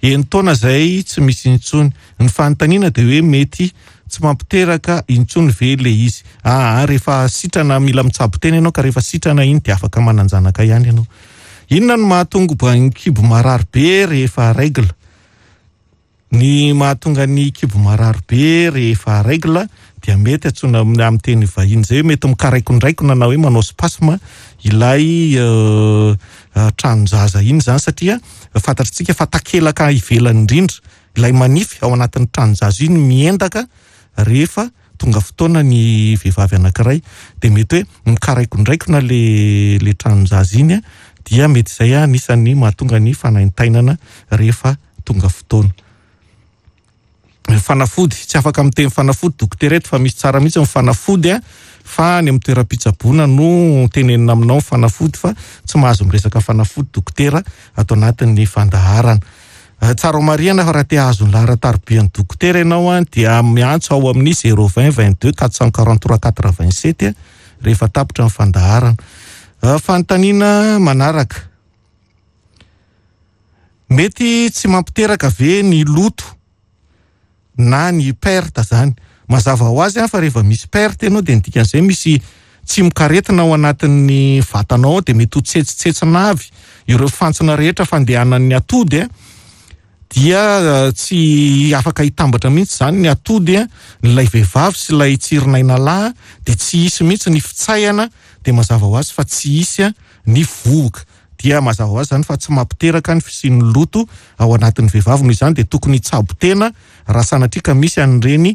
Speaker 1: Enin-taona izay tsy misy intsony. Ny fanontaniana dia hoe mety tsy mampiteraka intsony ve ilay izy? Aa, rehefa sitrana mila mitsabo tena ianao ka rehefa sitrana iny dia afaka manan-janaka ihany ianao. Inona no mahatonga ny kibo marary be rehefa règle? Ny mahatonga ny kibo marary be rehefa règle dia mety antsoina amin'ny teny vahiny izay hoe mety mikaraikondraikona na hoe manao spasme ilay tranon-jaza iny izany satria fantatritsika fa takelaka ivelany indrindra ilay manify ao anatin'ny tranon-jaza iny miendaka rehefa tonga fotoana ny vehivavy anankiray dia mety hoe mikaraikondraikona le tranon-jaza iny dia mety izay anisan'ny mahatonga ny fanaintainana rehefa tonga fotoana. Fanafody, tsy afaka miteny fanafody dokotera eto fa misy tsara mihitsy ny fanafody a, fa any amin'ny toeram-pitsaboana no tenenina aminao ny fanafody fa tsy mahazo miresaka fanafody dokotera ato anatin'ny fandaharana. Tsara ho marihana fa raha te hahazo ny laharan-taribian'ny dokotera ianao a dia miantso ao amin'ny 020 22 443 87 rehefa tapitra ny fandaharana. Fanontaniana manaraka. Mety tsy mampiteraka ve ny loto na ny perte zany? Mazava ho azy fa rehefa misy perte ianao dia ny dikan'izay misy tsimokaretina ao anatin'ny vatanao ao dia mety ho tsetsitsetsina avy ireo fantsona rehetra fandehanan'ny atody a, dia tsy afaka hitambatra mihitsy zany ny atody a, ilay vehivavy sy ilay tsirinaina lahy dia tsy hisy mihitsy ny fitsaihana dia mazava ho azy fa tsy hisy ny vohoka. Dia mazava ho azy izany fa tsy mampiteraka ny fisian'ny loto ao anatin'ny vehivavy, noho izany dia tokony hitsabo tena raha sanatria ka misy an'ireny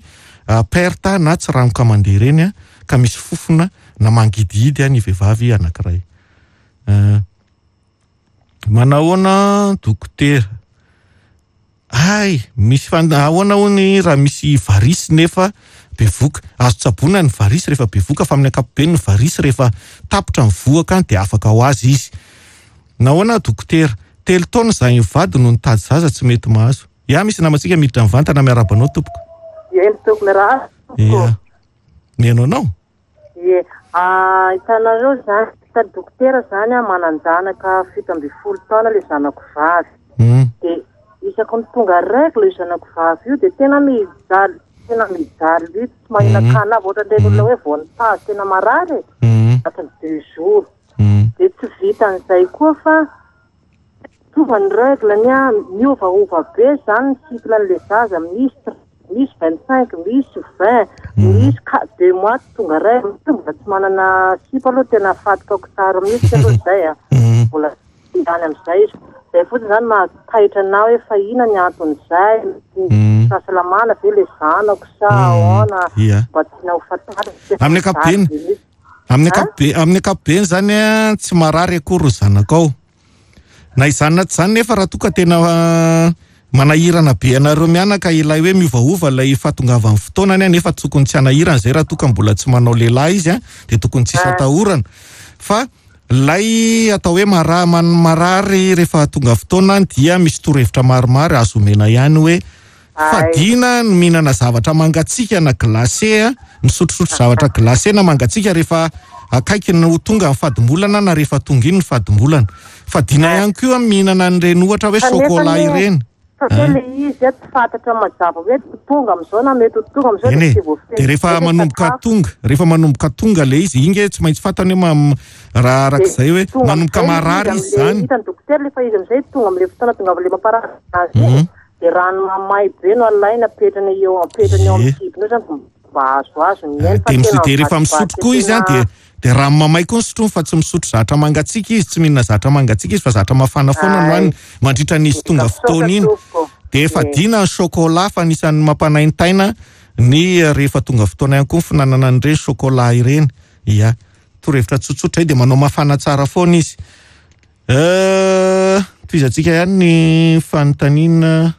Speaker 1: perte na tsiranoka mandeha ireny ka misy fofona na mangidihidy ny vehivavy anankiray. Manahoana dokotera? Hay, misy fan, ahoana hono raha misy varisy nefa bevoka? Azo tsaboina ny varisy rehefa bevoka fa amin'ny ankapobeny ny varisy rehefa tapitra ny vohoka dia afaka ho azy izy. Nahoana dokotera? Telo taona izahay mivady no nitady zaza tsy mety mahazo. Ya, misy namantsika miditra mivantana miarahaba anao tompoko.
Speaker 2: Eny tompoko, miarahaba tompoko.
Speaker 1: Ya. Mihaino anao.
Speaker 2: Ie, hitanareo zany, hitan'ny dokotera zany aho manan-janaka 17 taona le zanako vavy. De isaky ny tonga règle io zanako vavy io de tena mijaly, tena mijaly mihitsy, tsy mahinan-kanina avy ohatran'ireny olona hoe vao nitazo tena marary e, anatin'ny deux jours. De tsy vitan'izay koa fa Tonga ny règle ny ahy, miovaova be zany ny cycle an'le zaza, misy misy 25, misy 20, misy deux mois tsy tonga règle, mbola tsy manana sipa aloha tena fatiko tsara mihitsy aloha zay a, mbola tsy any am'izay izy, zay fotsiny zany mahataitra anah hoe fa inona ny anton'izay, fahasalamana ve le zanako sa ahoana, mba tiana ho fantarina.
Speaker 1: Amin'ny ankapobeny, amin'ny ankapobeny, amin'ny ankapobeny zany a, tsy marary akory ny zanakao. Na izany na tsy izany nefa raha toa ka tena manahirana be anareo mianaka ilay hoe miovaova ilay fahatongavan'ny fotoanany nefa tokony tsy hanahirana izay raha toa ka mbola tsy manao lehilahy izy dia tokony tsisy atahorana fa ilay atao hoe marary rehefa tonga fotoana dia misy torohevitra maromaro azo omena ihany hoe Fadiana ny mihinana zavatra mangatsiaka na glacé a, misotrosotro zavatra glacé na mangatsiaka rehefa akaiky ny ho tonga ny fadimbolana na rehefa tonga iny ny fadimbolana. Fadiana ihany koa ny mihinana an'ireny ohatra hoe chocolat ireny.
Speaker 2: Satria le izy a tsy fantatra mazava hoe ho tonga amin'izao na mety ho tonga amin'izao
Speaker 1: dia tsy voafehy. Dia rehefa manomboka tonga, rehefa manomboka tonga le izy, iny nge tsy maintsy fantany hoe raha arak'izay hoe manomboka marary izy izany.
Speaker 2: Hitan'ny dokotera le fa izy amin'izay tonga amin'ilay fotoana tongavan'ilay mamparary azy iny. Dia rano mamay be no alaina apetrany eo apetrany eo amin'ny kibony eo zany mba azoazo ny ainy fa tena
Speaker 1: Dia rehefa misotro koa izy an dia dia rano mamay koa no sotroiny fa tsy misotro zatra mangatsiaka izy, tsy mihinana zatra mangatsiaka izy fa zatra mafana foana no haniny mandritra ny izy tonga fotoana iny. Dia efa dina ny chocolat fa anisan'ny mampanaintaina ny rehefa tonga fotoana ihany koa ny fihinanana an'ireny chocolat ireny. Ia. Torohevitra tsotsotra izay dia manao mafana tsara foana izy. Tohizantsika ihany ny fanontaniana,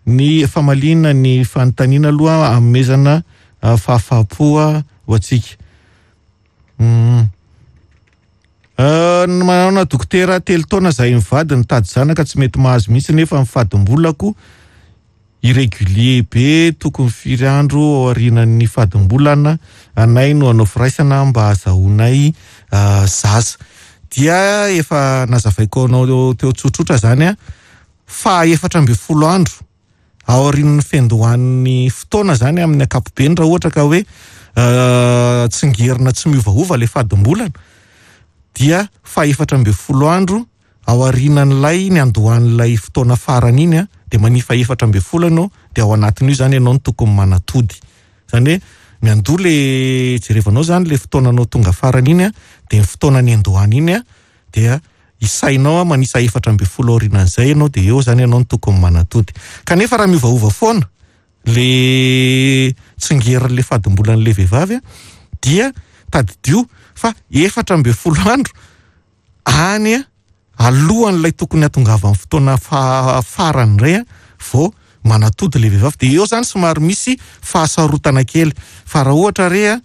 Speaker 1: ny famaliana ny fanontaniana aloha hanomezana fahafaham-po ho antsika. Manaona dokotera, 3 taona zahay mivady nitady zanaka tsy mety mahazo mihitsy nefa ny fadimbolako irrégulier be, tokony firy andro ao aorianan'ny fadimbolana anay no hanao firaisana mba hahazahoanay zaza. Dia efa nazavaiko anao teo tsotsotra zany a, faha 14 andro aorian'ny fiandohan'ny fotoana zany amin'ny ankapobeny raha ohatra ka hoe tsingerina tsy miovaova ilay fadimbolana dia faha 14 andro Aorianan'ilay niandohan'ilay fotoana farany iny dia manifa 14 ianao dia ao anatin'io izany ianao no tokony manatody. Izany hoe miandoha le jerevanao izany le fotoananao tonga farany iny dia ny fotoana niandohana iny dia isainao manisa 14 aorianan'izay ianao dia eo izany ianao no tokony manatody. Kanefa raha miovaova foana le tsingerin'ilay fadimbolan'ilay vehivavy dia tadidio fa 14 andro any alohan'ilay tokony hatongavan'ny fotoana farany indray vao manatody ilay vehivavy. Dia eo izany somary misy fahasarotana kely. Fa raha ohatra re a,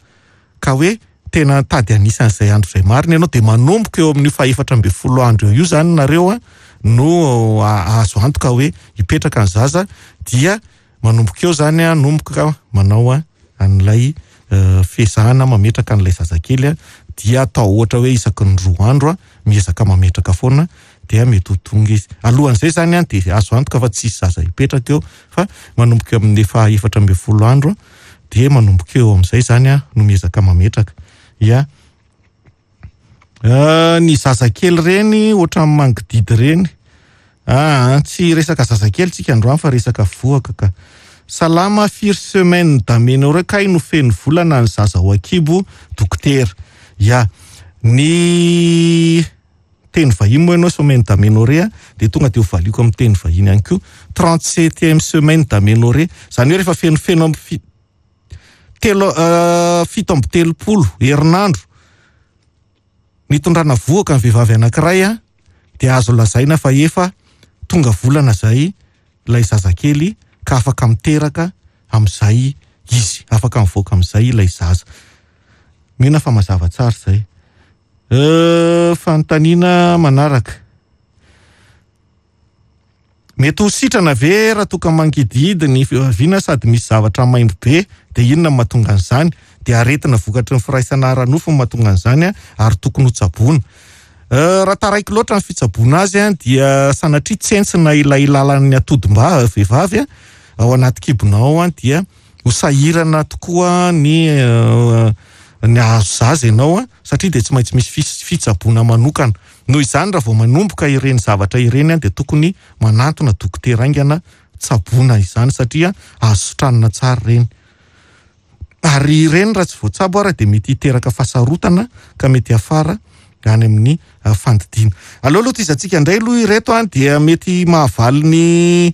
Speaker 1: ka hoe tena tady anisan'izay andro izay marina ianao, dia manomboka eo amin'io fahefatra ambin'ny folo andro eo io izany nareo a, no azo antoka hoe hipetraka ny zaza, dia manomboka eo izany a, nomboka manao a an'ilay fezahana mametraka an'ilay zazakely a, dia atao ohatra hoe isaky ny 2 andro a, miezaka mametraka foana, dia mety ho tonga izy. Alohan'izay izany a, dia azo antoka fa tsisy zaza hipetraka eo, fa manomboka eo amin'ny efa 14 andro a, dia manomboka eo amin'izay izany a, no miezaka mametraka. Ya. Ny zazakely ireny ohatran'ny mangididy ireny. Tsy resaka zazakely tsika androany fa resaka vohoka ka. Salama, firy semaine d'aménorrhée kay no feno volana ny zaza ao an-kibo dokotera? Ya. Ny teny vahiny moa ianao semaine d'aménorrhée dia tonga dia ho valiako amin'ny teny vahiny ihany koa. 37e semaine d'aménorrhée. Izany hoe rehefa fenofeno amin'ny telo, 37 herinandro nitondrana vohoka ny vehivavy anankiray a, dia azo lazaina fa efa tonga volana izay ilay zazakely ka afaka miteraka amin'izay izy, afaka mivoaka amin'izay ilay zaza. Mino fa mazava tsara izay. Fanontaniana manaraka. Mety ho sitrana ve raha toa ka mangidihidy ny fihaviana sady misy zavatra maimbo be, dia inona no mahatonga an'izany? Dia aretina vokatry ny firaisana ara-nofo no mahatonga an'izany ary tokony ho tsaboina. Raha taraiky loatra ny fitsaboana azy dia sanatria tsentsina ilay lalan'ny atodim-ba vehivavy ao anaty kibonao ao, dia ho sahirana tokoa ny ny hahazo zaza ianao satria dia tsy maintsy misy fitsaboana manokana. Noho izany raha vao manomboka ireny zavatra ireny dia tokony manantona dokotera haingana tsaboina izany satria azo sitranina tsara ireny. Ary ireny raha tsy voatsabo ara dia mety hiteraka fahasarotana ka mety hiafara any amin'ny fandidiana. Aleo aloha tohizantsika indray aloha ireto dia mety mahavaly ny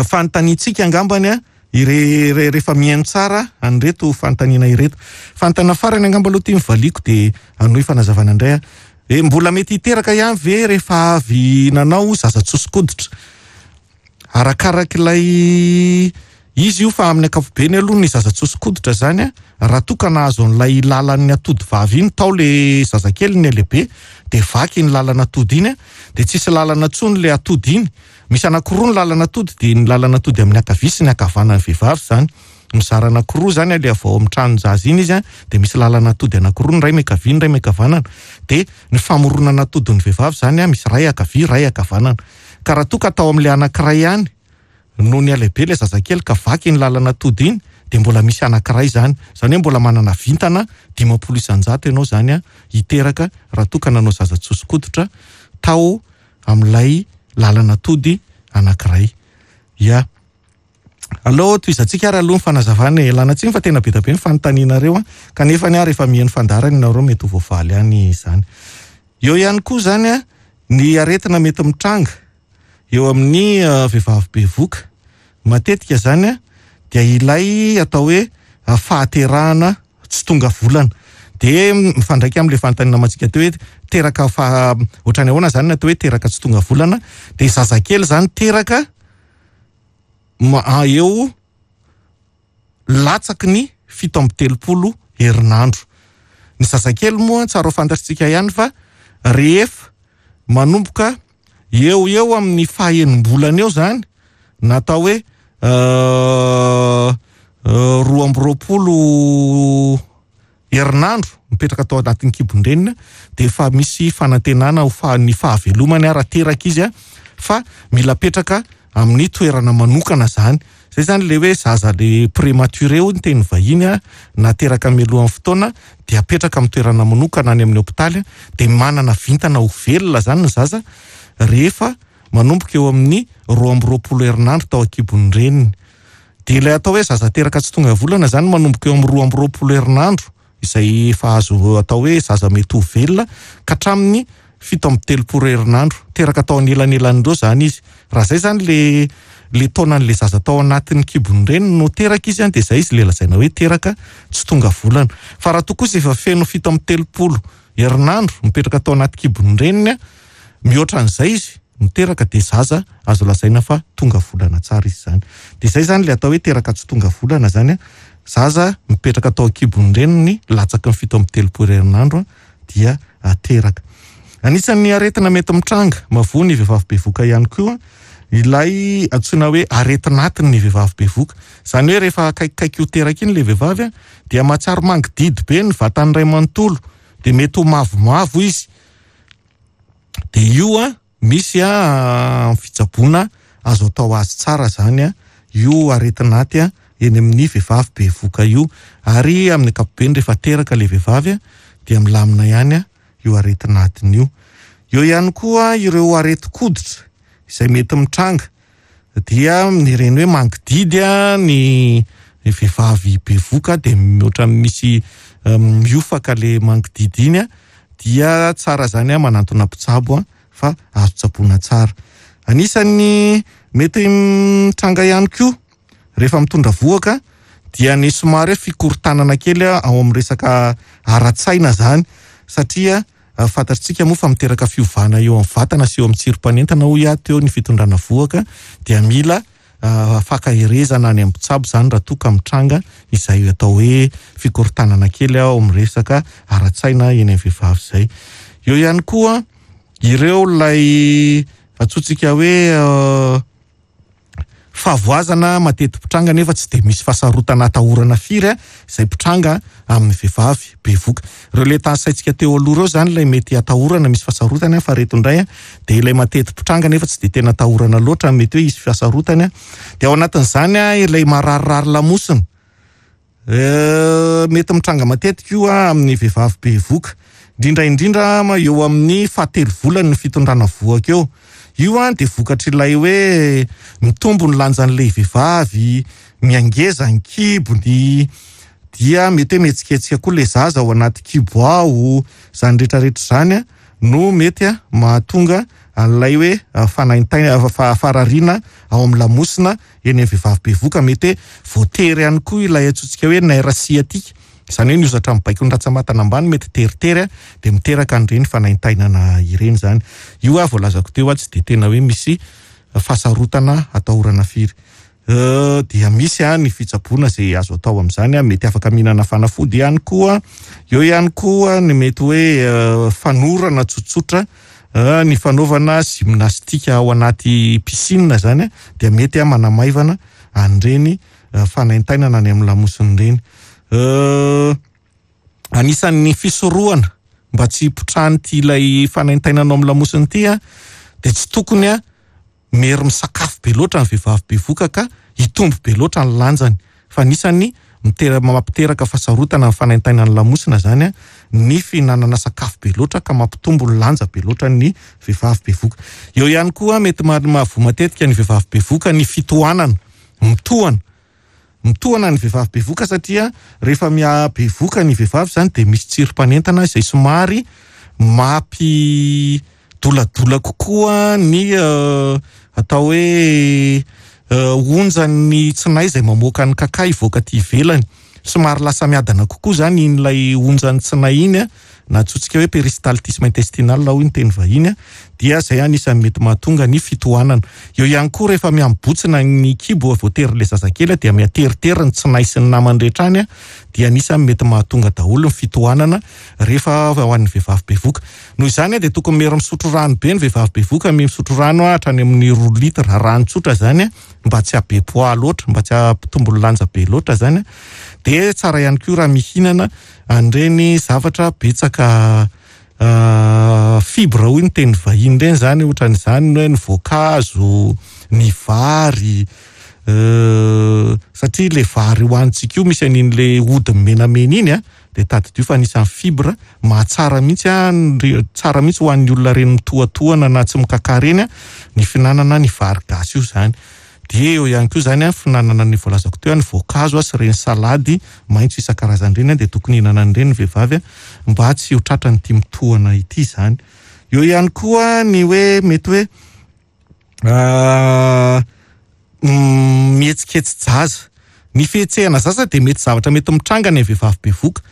Speaker 1: fanontaniantsika angambany rehefa mihaino tsara an'ireto fanontaniana ireto. Fanontaniana farany angamba aloha ity mivaliako dia hanohy fanazavana indray aho. Mbola mety hiteraka ihany ve rehefa avy nanao zaza tsoso-koditra? Arakarak'ilay izy io fa amin'ny ankapobeny aloha ny zaza tsoso-koditra zany a, raha toa ka nahazo an'ilay lalan'ny atody vavy iny tao le zazakely ny lehibe dia vaky iny lalana atody iny a, dia tsisy lalana intsony le atody iny. Misy anankiroa ny lalana atody, dia ny lalana atody amin'ny ankavia sy ny ankavanan'ny vehivavy zany. Mizara anankiroa zany aleha avy ao amin'ny tranon-jaza iny izy a, dia misy lalana atody anankiroa, ny iray miankavia, ny iray miankavanana. Dia ny famoronana atodin'ny vehivavy zany a, misy iray ankavia, iray ankavanana. Ka raha toa ka tao amin'ilay anankiray ihany no nihalehibe ilay zazakely ka vaky iny lalana atody iny, dia mbola misy anankiray zany. Izany hoe mbola manana vintana 50% ianao zany a, hiteraka raha toa ka nanao zaza tsoso-koditra tao amin'ilay lalana atody anankiray. Ya. Aleo tohizantsika ary aloha ny fanazavana e. Ialana tsiny fa tena be dia be ny fanontanianareo a, kanefa ny ahy rehefa mihaino fandaharana ianareo mety ho voavaly ihany izany. Eo ihany koa zany a, ny aretina mety mitranga eo amin'ny vehivavy bevoka. Matetika zany a, dia ilay atao hoe fahaterahana tsy tonga volana. Dia mifandraika amin'ilay fanontaniana namantsika teo hoe teraka fa ohatrany ahoana zany ny atao hoe teraka tsy tonga volana? Dia zazakely zany teraka eo latsaky ny 37 herinandro. Ny zazakely moa tsara ho fantatritsika ihany fa rehefa manomboka eo eo amin'ny fahaenim-bolana eo zany, na atao hoe 22 herinandro mipetraka tao anatin'ny kibon-dreniny, dia efa misy fanantenana ho ny fahavelomany raha teraka izy a, fa mila apetraka amin'ny toerana manokana zany. Zay zany le hoe zaza le prématuré hoy ny teny vahiny a, na teraka mialohan'ny fotoana dia apetraka amin'ny toerana manokana any amin'ny hôpitaly a, dia manana vintana ho velona zany ny zaza rehefa manomboka eo amin'ny 22 herinandro tao an-kibon'ny reniny. Dia ilay atao hoe zaza teraka tsy tonga volana zany manomboka eo amin'ny 22 herinandro izay efa azo atao hoe zaza mety ho velona ka hatramin'ny 37 herinandro. Teraka tao anelanelan'ireo zany izy. Raha zay zany le taonan'le zaza tao anatin'ny kibon'ny reniny no teraka izy, dia zay izy le lazaina hoe teraka tsy tonga volana. Fa raha toa kosa efa feno 37 herinandro mipetraka tao anaty kibon'ny reniny, mihoatra an'izay izy miteraka dia zaza azo lazaina fa tonga volana tsara izy izany. Dia izay izany ilay atao hoe teraka tsy tonga volana izany, zaza mipetraka tao an-kibon'ny reniny latsaky ny 37 herinandro dia teraka. Anisan'ny aretina mety mitranga mahavoa ny vehivavy bevoka ihany koa ilay antsoina hoe aretin'atiny ny vehivavy bevoka. Izany hoe rehefa akaikikaiky ho teraka iny ilay vehivavy dia mahatsiaro mangididy be ny vatany iray manontolo, dia mety ho mavomavo izy. Dia io misy fitsaboana azo atao azy tsara izany io aretin'aty eny amin'ny vehivavy bevoka io. Ary amin'ny ankapobeny rehefa teraka ilay vehivavy dia milamina ihany io aretin'atiny io. Eo ihany koa ireo aretin-koditra izay mety mitranga dia ireny hoe mangididy ny vehivavy bevoka dia ohatran'ny misy miofaka ilay mangididy iny dia tsara izany manantona mpitsabo fa azo tsaboina tsara. Anisan'ny mety mitranga ihany koa rehefa mitondra vohoka dia ny somary hoe fikorontanana kely ao amin'ny resaka ara-tsaina izany satria fantatritsika moa fa miteraka fiovana eo amin'ny vatana sy eo amin'ny tsirom-panentana hoy aho teo ny fitondrana vohoka dia mila fankaherezana any amin'ny mpitsabo izany raha toa ka mitranga izay atao hoe fikorontanana kely ao amin'ny resaka ara-tsaina eny amin'ny vehivavy izay. Eo ihany koa ireo ilay antsointsika hoe fahavoazana mateti-pitranga nefa tsy dia misy fahasarotana atahorana firy izay mpitranga amin'ny vehivavy bevoka. Ireo ilay tanisaintsika teo aloha ireo izany ilay mety atahorana misy fahasarotana fa ireto indray dia ilay mateti-pitranga nefa tsy dia tena atahorana loatra mety hoe hisy fahasarotana. Dia ao anatin'izany ilay mararirary lamosina. Mety mitranga matetika io amin'ny vehivavy bevoka, indrindra indrindra eo amin'ny fahatelo volany ny fitondrana vohoka eo. Io dia vokatr'ilay hoe mitombo ny lanjan'ilay vehivavy, miangeza ny kibony, dia mety hoe mihetsiketsika koa ilay zaza ao anaty kibo ao. Izany rehetrarehetra izany no mety mahatonga an'ilay hoe fanaintaina, farariana ao amin'ny lamosina eny amin'ny vehivavy bevoka. Mety hoe voatery ihany koa ilay antsointsika hoe nerf sciatique, izany hoe ny hozatra mibaiko ny rantsambatana ambany mety teritery dia miteraka an'ireny fanaintainana ireny izany. Io aho voalazako teo tsy dia tena hoe misy fahasarotana atahorana firy. Dia misy ny fitsaboana izay azo atao amin'izany, mety afaka mihinana fanafody ihany koa. Eo ihany koa ny mety hoe fanorana tsotsotra, ny fanaovana gymnastique ao anaty piscine izany dia mety manamaivana an'ireny fanaintainana any amin'ny lamosina ireny. Anisan'ny fisorohana mba tsy hipotrahan'ity ilay fanaintainana ao amin'ny lamosina ity dia tsy tokony mery misakafo be loatra ny vehivavy bevoka ka hitombo be loatra ny lanjany. Fa anisan'ny mampiteraka fahasarotana ny fanaintainan'ny lamosina izany ny fihinanana sakafo be loatra ka mampitombo ny lanja be loatra ny vehivavy bevoka. Eo ihany koa mety mahavoa matetika ny vehivavy bevoka ny fitohanana, mitohana. Mitohana ny vehivavy bevoka satria rehefa miha-bevoka ny vehivavy izany dia misy tsirom-panentana izay somary mampidoladola kokoa ny atao hoe onjan'ny tsinay izay mamoaka ny kaka hivoaka aty ivelany. Somary lasa miadana kokoa izany iny ilay onjan'ny tsinay iny, na antsointsika hoe péristaltisme intestinal hoy ny teny vahiny, dia izay anisan'ny mety mahatonga ny fitohanana. Eo ihany koa rehefa mihamibotsina ny kibo voatery ilay zazakely dia mihateritery ny tsinay sy ny namany rehetra any, dia anisan'ny mety mahatonga daholo ny fitohanana rehefa ho an'ny vehivavy bevoka. Noho izany dia tokony mery misotro rano be ny vehivavy bevoka, misotro rano hatrany amin'ny 2 litres rano tsotra izany mba tsy hahabe poids loatra, mba tsy hampitombo ny lanja be loatra izany. Dia tsara ihany koa raha mihinana an'ireny zavatra betsaka fibre hoy ny teny vahiny ireny izany, ohatran'izany hoe ny voankazo, ny vary, satria ilay vary hohanintsika io misy an'iny ilay hodiny menamena iny dia tadidio fa anisan'ny fibre mahatsara mihitsy tsara mihitsy ho an'ny olona ireny mitohatohana na tsy mikaka ireny ny fihinanana ny vary gasy io izany. Dia eo ihany koa izany fihinanana ny voalazako teo ny voankazo sy ireny salady maitso isan-karazany ireny dia tokony hihinana an'ireny ny vehivavy mba tsy ho tratran'ity mitohana ity izany. Eo ihany koa ny hoe mety hoe mihetsiketsi-jaza. Ny fihetsehana zaza dia mety zavatra mety mitranga any amin'ny vehivavy bevoka.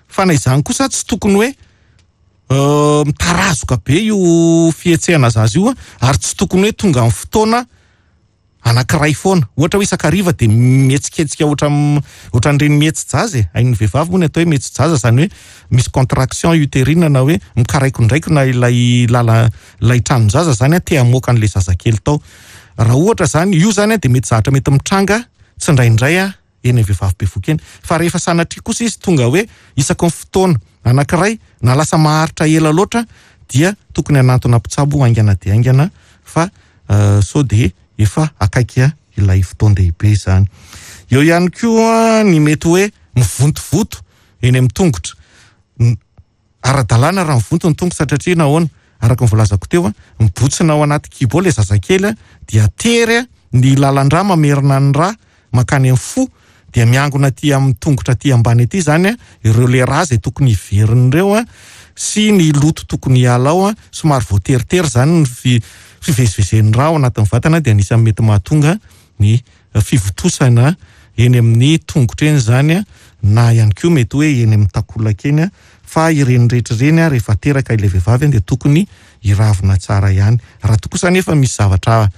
Speaker 1: Fa na izany kosa tsy tokony hoe Mitarazoka be io fihetsehana zaza io ary tsy tokony hoe tonga amin'ny fotoana anankiray foana. Ohatra hoe isan-kariva dia mihetsiketsika ohatra ohatran'ireny mihetsi-jaza e. Hain'ny vehivavy moa ny atao hoe mihetsi-jaza, izany hoe misy contraction utérine na hoe mikaraikondraikona ilay lala ilay tranon-jaza izany te hamoaka an'ilay zazakely tao. Raha ohatra izany, io izany dia mety zavatra mety mitranga tsindraindray eny amin'ny vehivavy bevohoka eny. Fa rehefa sanatria kosa izy tonga hoe isaky ny fotoana anankiray na lasa maharitra ela loatra dia tokony hanantona mpitsabo haingana dia haingana fa sao dia efa akaiky ilay fotoan-dehibe izany. Eo ihany koa ny mety hoe mivontovoto eny amin'ny tongotra. Ara-dalàna raha mivonto ny tongotra satria nahoana? Araka ny voalazako teo, mibotsina ao anaty kibo ao ilay zazakely dia tery ny lalan-drà mamerina ny rà mankany amin'ny fo dia miangona aty amin'ny tongotra aty ambany aty izany ireo le rà izay tokony hiverina ireo sy ny loto tokony hiala ao, somary voateritery izany ny fivezivezen'ny rà ao anatin'ny vatana dia anisan'ny mety mahatonga ny fivontosana eny amin'ny tongotra eny izany na ihany koa mety hoe eny amin'ny takolaka eny fa ireny rehetra ireny rehefa teraka ilay vehivavy dia tokony hiravina tsara ihany. Raha toa kosa anefa misy zavatra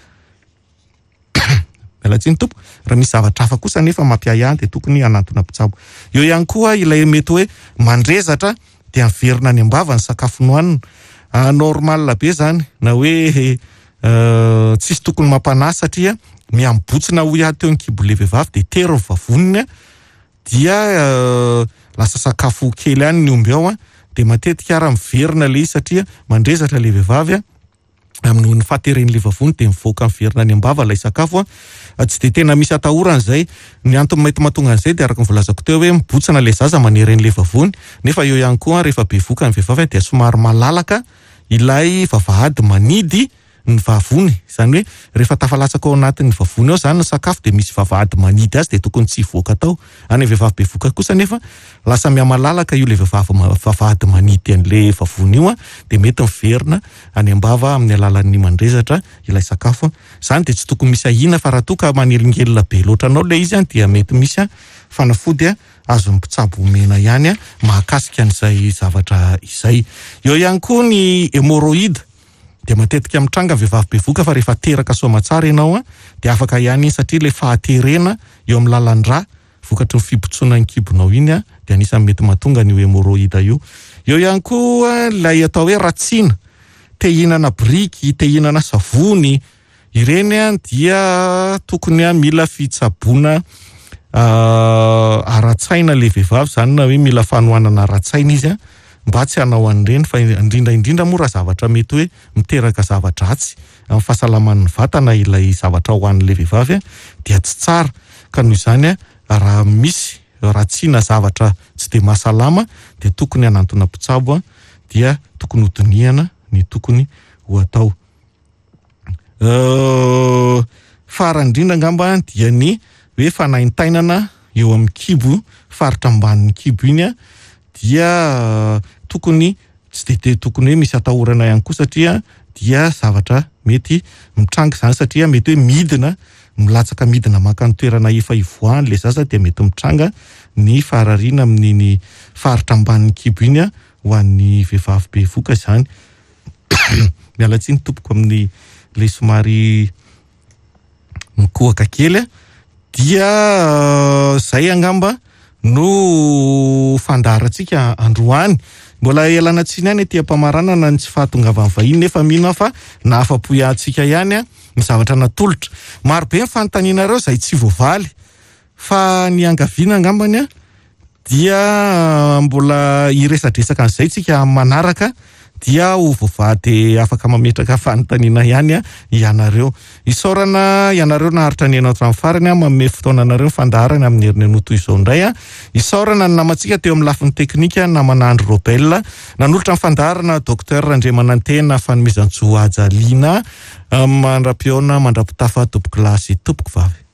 Speaker 1: miala tsiny tompoko, raha misy zavatra hafa kosa anefa mampiahiahy dia tokony hanantona mpitsabo. Eo ihany koa ilay mety hoe mandrezatra dia miverina any am-bava ny sakafo nohanina. Normal be izany na hoe tsisy tokony mampanahy satria miha-mibotsina hoy aho teo ny kibo le vehivavy dia tery ny vavoniny dia lasa sakafo kely ihany ny omby ao dia matetika ara miverina ilay izy satria mandrezatra ilay vehivavy noho ny fahateren'ilay vavony dia mivoaka miverina any am-bava ilay sakafo. Tsy dia tena misy atahorana izay. Ny antony mety mahatonga an'izay dia araka ny voalazako teo hoe mibotsina ilay zaza manery an'ilay vavony, nefa eo ihany koa rehefa bevoka ny vehivavy dia somary malalaka ilay vavahady manidy ny vavony, izany hoe rehefa tafalatsaka ao anatin'ny vavony ao izany ny sakafo dia misy vavahady manidy azy dia tokony tsy hivoaka tao. Any amin'ny vehivavy bevoka kosa nefa lasa mihamalalaka io ilay vehivavy vavahady manidy an'ilay vavony io dia mety miverina any am-bava amin'ny alalan'ny mandrezatra ilay sakafo. Izany dia tsy tokony misy ahiana fa raha toa ka manelingelina be loatra anao ilay izy dia mety misy fanafody azon'ny mpitsabo omena ihany mahakasika an'izay zavatra izay. Eo ihany koa ny hémorroïde dia matetika mitranga ny vehivavy bevoka fa rehefa teraka soamatsara ianao dia afaka ihany iny satria ilay fahaterena eo amin'ny lalan-drà vokatry ny fibotsonan'ny kibonao iny dia anisan'ny mety mahatonga an'io hémorroïde io. Eo ihany koa ilay atao hoe ratsiana, te hihinana biriky, te hihinana savony, ireny dia tokony mila fitsaboana ara-tsaina ilay vehivavy izany na hoe mila fanohanana ara-tsaina izy mba tsy hanao an'ireny fa indrindra indrindra moa raha zavatra mety hoe miteraka zava-dratsy amin'ny fahasalaman'ny vatana ilay zavatra ho an'ilay vehivavy dia tsy tsara ka noho izany raha misy ratsiana zavatra tsy dia mahasalama dia tokony hanantona mpitsabo dia tokony hodinihana ny tokony ho atao. Farany indrindra angamba dia ny hoe fanaintainana eo amin'ny kibo, faritra ambanin'ny kibo iny dia tokony tsy dia tokony hoe misy atahorana ihany koa satria dia zavatra mety mitranga izany satria mety hoe midina, milatsaka midina maka ny toerana efa ivoahany ilay zaza dia mety mitranga ny farariana amin'iny faritra ambanin'ny kibo iny ho an'ny vehivavy bevoka izany. Miala tsiny tompoko amin'ny ilay somary mikohaka kely dia zay angamba no fandaharantsika androany. Mbola ialana tsiny ihany ety am-pamaranana ny tsy fahatongavan'ny vahiny nefa mino aho fa nahafa-po antsika ihany ny zavatra natolotra. Maro be ny fanontanianareo izay tsy voavaly fa ny angaviana angambany dia mbola hiresadresaka an'izay tsika amin'ny manaraka dia ho voavaha dia afaka mametraka fanontaniana ihany ianareo. Isaorana ianareo naharitra nihaino hatramin'ny farany, manome fotoana anareo ny fandaharana amin'ny herinandro toy izao indray. Isaorana ny namantsika teo amin'ny lafiny teknika, namana Andry Robel, nanolotra ny fandaharana Docteur Randriamanantena Fanomezantsoa Haja Lina, mandra-pihaona, mandra-pitafa tompoko lahy sy tompoko vavy.